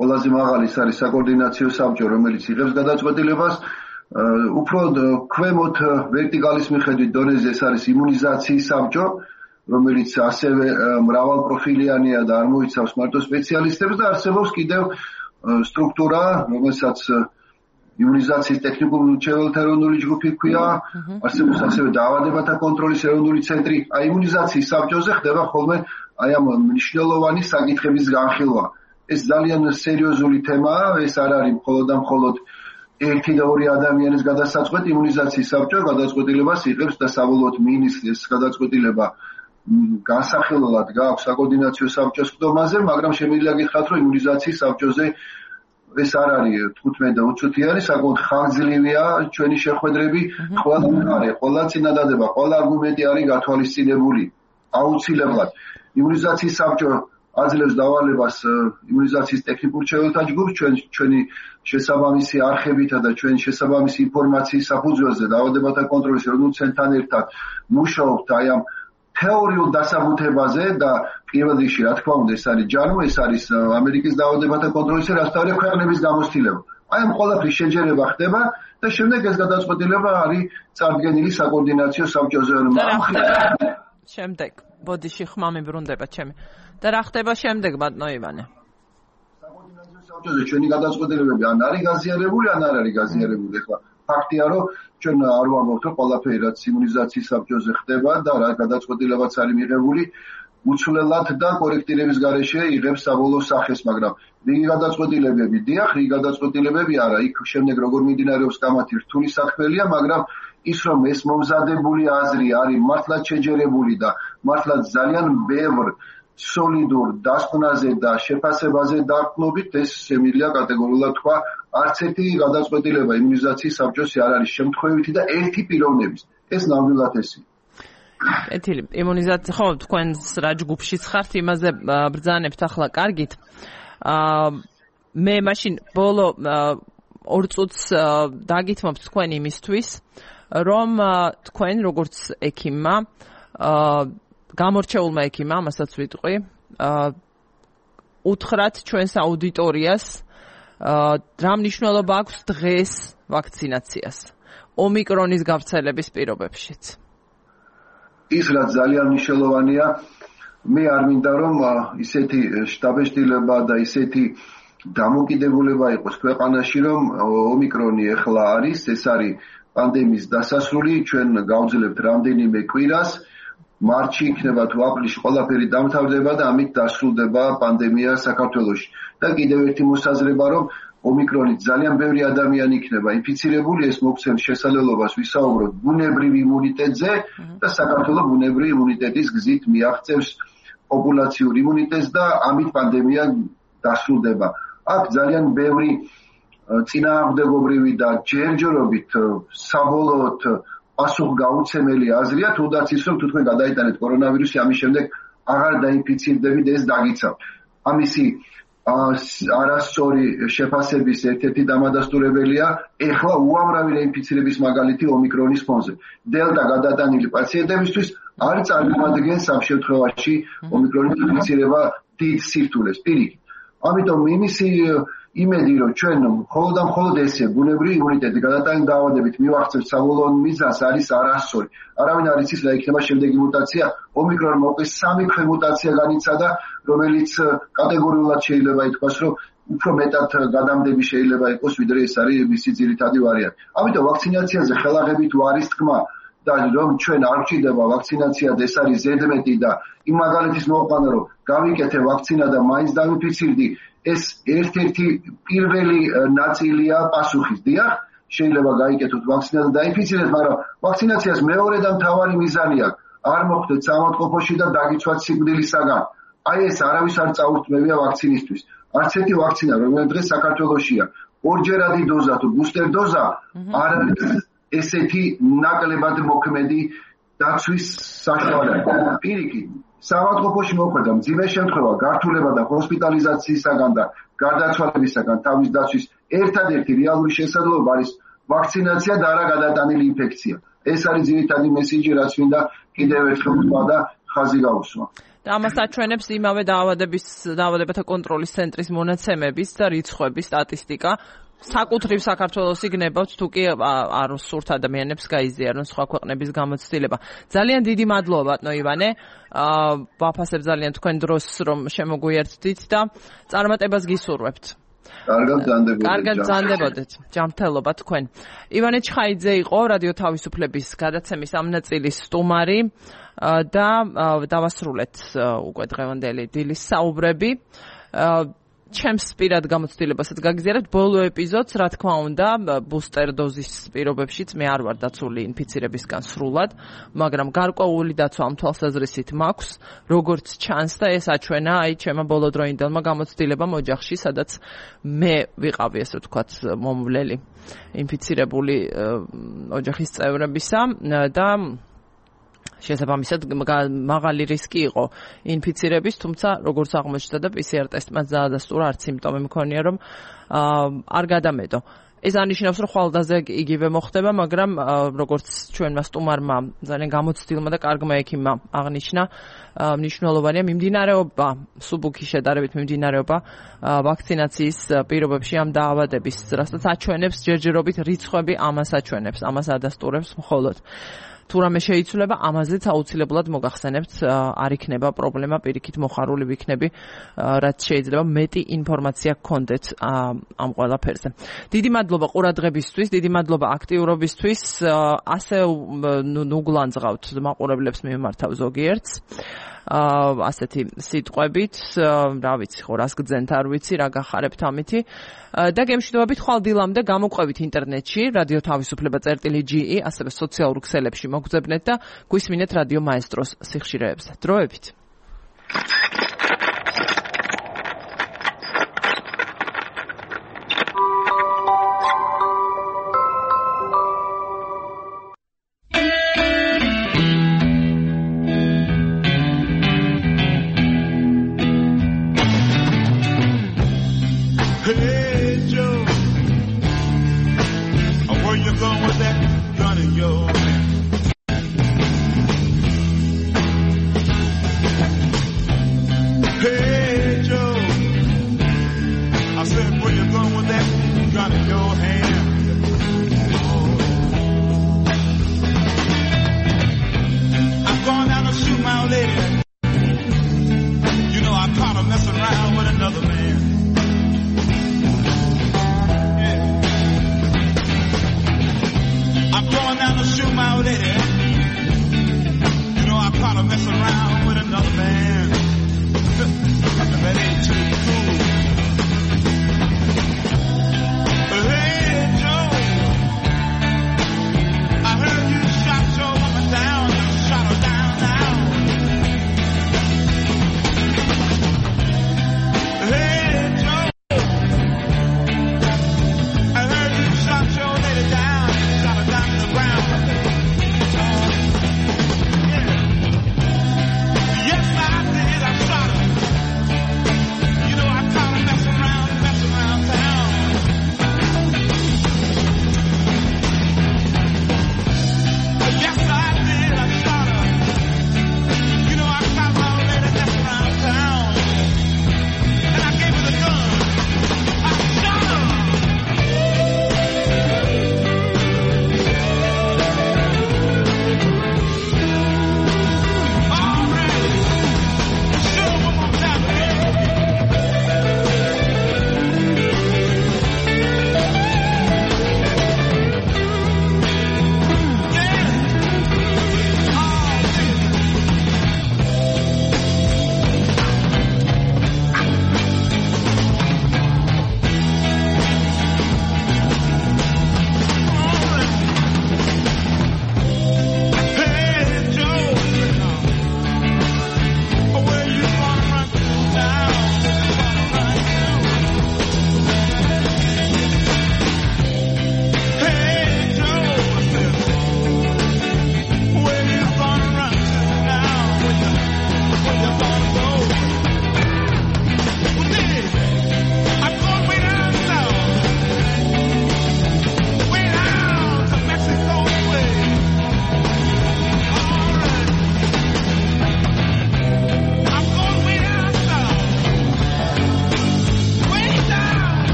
Speaker 7: ყველაზე მაღალი არის საკოორდინაციო საბჭო, რომელიც იღებს გადაწყვეტილებას. უფრო ქვემოთ ვერტიკალის მიხედვით დონეზე ეს არის იმუნიზაციის საბჭო, რომელიც ასევე მრავალპროფილიანია და არ მოიცავს მარტო სპეციალისტებს და არსებობს კიდევ სტრუქტურა, რომელსაც იმუნიზაციის ტექნიკურ-მრჩეველთა ეროვნული ჯგუფი ჰქვია, არსებობს ასევე დაავადებათა კონტროლის ეროვნული ცენტრი. აი იმუნიზაციის საბჭოზე ხდება ხოლმე აი ამ მნიშვნელოვანი საკითხების განხილვა. ეს ძალიან სერიოზული თემაა, ეს არ არის მხოლოდ ერთი და ორი ადამიანის გადასაწყვეტი. იმუნიზაციის საბჭო გადაწყვეტილებას იღებს და საბოლოოდ მინისტრის გადაწყვეტილება განსახილველად გააქვს საკოორდინაციო საბჭოს ხდომაზე, მაგრამ შემიძლია გითხრათ, რომ იმუნიზაციის საბჭოზე ეს არ არის 15 და უცუთიანი, საკმაოდ ხანგრძლივია ჩვენი შეხვედრები, ყველა მხარე, ყველა წინადადება, ყველა არგუმენტი არის გათვალისწინებული აუცილებლად. იმუნიზაციის საბჭო აძლევს დავალებას იმუნიზაციის ტექნიკურ მრჩეველთა ჯგუფს, ჩვენი შესაბამისი არხებითა და ჩვენი შესაბამისი ინფორმაციის საფუძველზე დაავადებათა კონტროლის ეროვნულ ცენტრთან ერთად მუშაობთ აი ამ თეორიულ დასაბუთებაზე და პირველ რიგში, რა თქმა უნდა, ეს არის ჯანმო, ეს არის ამერიკის დაავადებათა კონტროლის რასთავარი ქვეყნების გამოცდილება. აი ამ ყველაფრის შეჯერება ხდება და შემდეგ ეს გადაწყვეტილება არის წარდგენილი საკოორდინაციო საბჭოზე.
Speaker 1: შემდეგ, ბოდიში ხმა მიბრუნდება ჩემი. და რა ხდება შემდეგ, ბატონო ივანე?
Speaker 7: საკოორდინაციო საბჭოზე ჩვენი გადაწყვეტილებები ან არის გაზიარებული, ან არ არის გაზიარებული. ახლა ფაქტია, რომ ჩვენ არ ვამბობთ, რომ ყველაფერი რაც იმუნიზაციის საბჭოზე ხდება და რა გადაწყვეტილებაც არის მიღებული, უცვლელად და კორექტირების გარეშე იღებს საბოლოო სახეს, მაგრამ რიგი გადაწყვეტილებები დიახ, რიგი გადაწყვეტილებები არა. იქ შემდეგ როგორ მიმდინარეობს კამათი რთული საქმეა, მაგრამ ის რომ ეს მომზადებული აზრი არის მართლაც შეჯერებული და მართლაც ძალიან ბევრ სოლიდურ დასკვნაზე და შეფასებაზე დაყრდნობით, ეს შემიძლია კატეგორიულად თქვა, არც ერთი გადაწყვეტილება იმუნიზაციის საბჭოში არ არის შემთხვევითი და ერთი პიროვნების. ეს ნამდვილად ესია.
Speaker 1: კეთილი. იმუნიზაცია ხო თქვენს რა ჯგუფშიც ხართ, იმაზე ბრძანებთ ახლა კარგით. მე მაშინ ბოლო 2 წუთს დაგითმობთ თქვენ იმისთვის, რომ თქვენ როგორც ექიმმა, გამორჩეულმა ექიმმა, ამასაც ვიტყვი, უთხრათ ჩვენს აუდიტორიას, რა მნიშვნელობა აქვს დღეს ვაქცინაციას ომიკრონის გავრცელების პირობებშიც.
Speaker 7: ის რაც ძალიან მნიშვნელოვანია, მე არ მინდა რომ ისეთი შტაბეშტილება და ისეთი დამოკიდებულება იყოს ქვეყანაში, რომ ომიკრონი ახლა არის, ეს არის პანდემიის დასასრული, ჩვენ გავძლებთ რამდენიმე კვირას, მარტში იქნება თუ აპრილში ყველაფერი დამთავრდება და ამით დასრულდება პანდემია საქართველოში. და კიდევ ერთი მოსაზრება, რომ ომიკრონით ძალიან ბევრი ადამიანი იქნება ინფიცირებული, ეს მოგცემს შესაძლებლობას ვისაუბროთ ბუნებრივ იმუნიტეტზე და საქართველოს ბუნებრივი იმუნიტეტის გზით მიაღწევს პოპულაციურ იმუნიტეტს და ამით პანდემია დასრულდება. აქ ძალიან ბევრი წინააღმდეგობრივი და ჯერჯერობით საბოლოოდ პასუხგაუცემელი აზრია, თუნდაც ის რომ თუ თქვენ გადაიტანეთ კორონავირუსი, ამის შემდეგ აღარ დაინფიცირდებით, ეს დაგიცავთ. ამისი არასწორი შეფასების ერთ-ერთი დამადასტურებელია ეხლა უამრავი რეინფიცირების მაგალითი ომიკრონის ფონზე. დელტა გადატანილი პაციენტებისთვის არ წარმოადგენს ამ შემთხვევაში ომიკრონის ინფიცირება დიდ სირთულეს. პირიქით. ამიტომ იმისი იმედი რომ ჩვენ მხოლოდ ესე ბუნებრივი იმუნიტეტი გადატანილი დაავადებით მივახცევთ საბოლოო მიზანს არის არასწორი. არავინ არ იცის რა იქნება შემდეგი მუტაცია. ომიკრონი მოკლედ 3 მუტაცია განიცადა, რომელიც კატეგორიულად შეიძლება ითქვას, რომ უფრო მეტად გადამდები შეიძლება იყოს, ვიდრე ეს არის მისი ძირითადი ვარიანტი. ამიტომ ვაქცინაციაზე ხელაღებით არის თქმა და რომ ჩვენ არ ვრჩდება ვაქცინაცია და ეს არის ზედმეტი და იმ მაგალითის მოყვანა რომ გავიკეთე ვაქცინა და მაინც დამიფიცირდი, ეს ერთ-ერთი პირველი ნაწილია პასუხის. დიახ, შეიძლება გაიკეთოთ ვაქცინა და დაიფიცირდეთ, მაგრამ ვაქცინაციას მეორე და მთავარი მიზანი აქვს. არ მოხდეთ სამავთყოფოში და დაგიცვათ სიკვდილისაგან. აი ეს არავის არ წაურთმევია ვაქცინისთვის. არც ერთი ვაქცინა, რომელიც დღეს საქართველოშია, ორჯერადი დოზა თუ ბუსტერ დოზა არ არის ესეთი ნაკლებად მოქმედი დაცვის საშუალება. პირიქით, სამავთყოფოში მოხვდა მძიმე შემთხვევა, გართულება და ჰოსპიტალიზაციისაგან და გარდაცვალებისაგან თავის დაცვის ერთადერთი რეალური შესაძლებლობა არის ვაქცინაცია და არა გადატანილი ინფექცია. ეს არის ძირითადი მესიჯი, რაც მინდა კიდევ ერთხელ ვთქვა და ხაზი გავუსვა.
Speaker 1: და ამას აჩვენებს იმავე დაავადებათა კონტროლის ცენტრის მონაცემების და რიცხვების სტატისტიკა. საკუთრივ საქართველოს იგნებავთ, თუ კი არ სურთ ადამიანებს გაიზიარონ სხვა ქვეყნების გამოცდილება. ძალიან დიდი მადლობა, ბატონო ივანე. ვაფასებ ძალიან თქვენ დროს, რომ შემოგვიერთდით და წარმატებას გისურვებთ. კარგად გრძანდებოდეთ. ჯანმრთელობა თქვენ. ივანე ჩხაიძე იყო რადიო თავისუფლების გადაცემის ამ ნაწილის სტუმარი და დავასრულეთ უკვე დღევანდელი დილის საუბრები. ჩემს პირად გამოცდილებასაც გაგზიარებთ ბოლო ეპიზოდს, რა თქმა უნდა, ბუსტერ დოზის პირობებშიც მე არ ვარ დაცული ინფიცირებისგან სრულად, მაგრამ გარკვეული დაცვა ამ თვალსაზრისით მაქვს, როგორც ჩანს და ეს აჩვენა აი ჩემმა ბოლოდროინდელმა გამოცდილებამ ოჯახში, სადაც მე ვიყავი, ასე ვთქვათ, მომვლელი ინფიცირებული ოჯახის წევრებისა და შესაბამისად მაღალი რისკი იყო ინფიცირების, თუმცა როგორც აღმოჩნდა და PCR ტესტმაც დაადასტურა, არც სიმპტომი მქონია, რომ არ გადამედო. ეს ანიშნავს, რომ ხვალდაზე იგივე მოხდება, მაგრამ როგორც ჩვენმა სტუმარმა ძალიან გამოცდილმა და კარგმა ექიმმა აღნიშნა, მნიშვნელოვანია მიმდინარეობა, სუბუქი შედარებით მიმდინარეობა ვაქცინაციის პირობებში ამ დაავადების, რასაც აჩვენებს ჯერჯერობით რიცხვები, ამას აჩვენებს, ამას ადასტურებს მხოლოდ. თუ რამე შეიცვლება, ამაზეც აუცილებლად მოგახსენებთ, არ იქნება პრობლემა, პირიქით მოხარული ვიქნები, რაც შეიძლება მეტი ინფორმაცია გქონდეთ ამ ყველაფერზე. დიდი მადლობა ყურადღებისთვის, დიდი მადლობა აქტიურობისთვის, ასე ნუგლანძღავთ მაყურებლებს მიმართავ ზოგიერთს. ასეთი სიტყვებით, რა ვიცი, ხო, რას გძენთ, არ ვიცი, რა გახარებთ ამითი. და გემშვიდობებით ხვალ დილამდე გამოყვებით ინტერნეტში, რადიო თავისუფლება.ge, ასევე სოციალურ ქსელებში მოგძებნეთ და გვისმინეთ რადიო მაესტროს სიხშირეებზე. დროებით.
Speaker 8: Hey Joe, where you going with that gun in your hand? Hey Joe, I said where you going with that gun in your hand?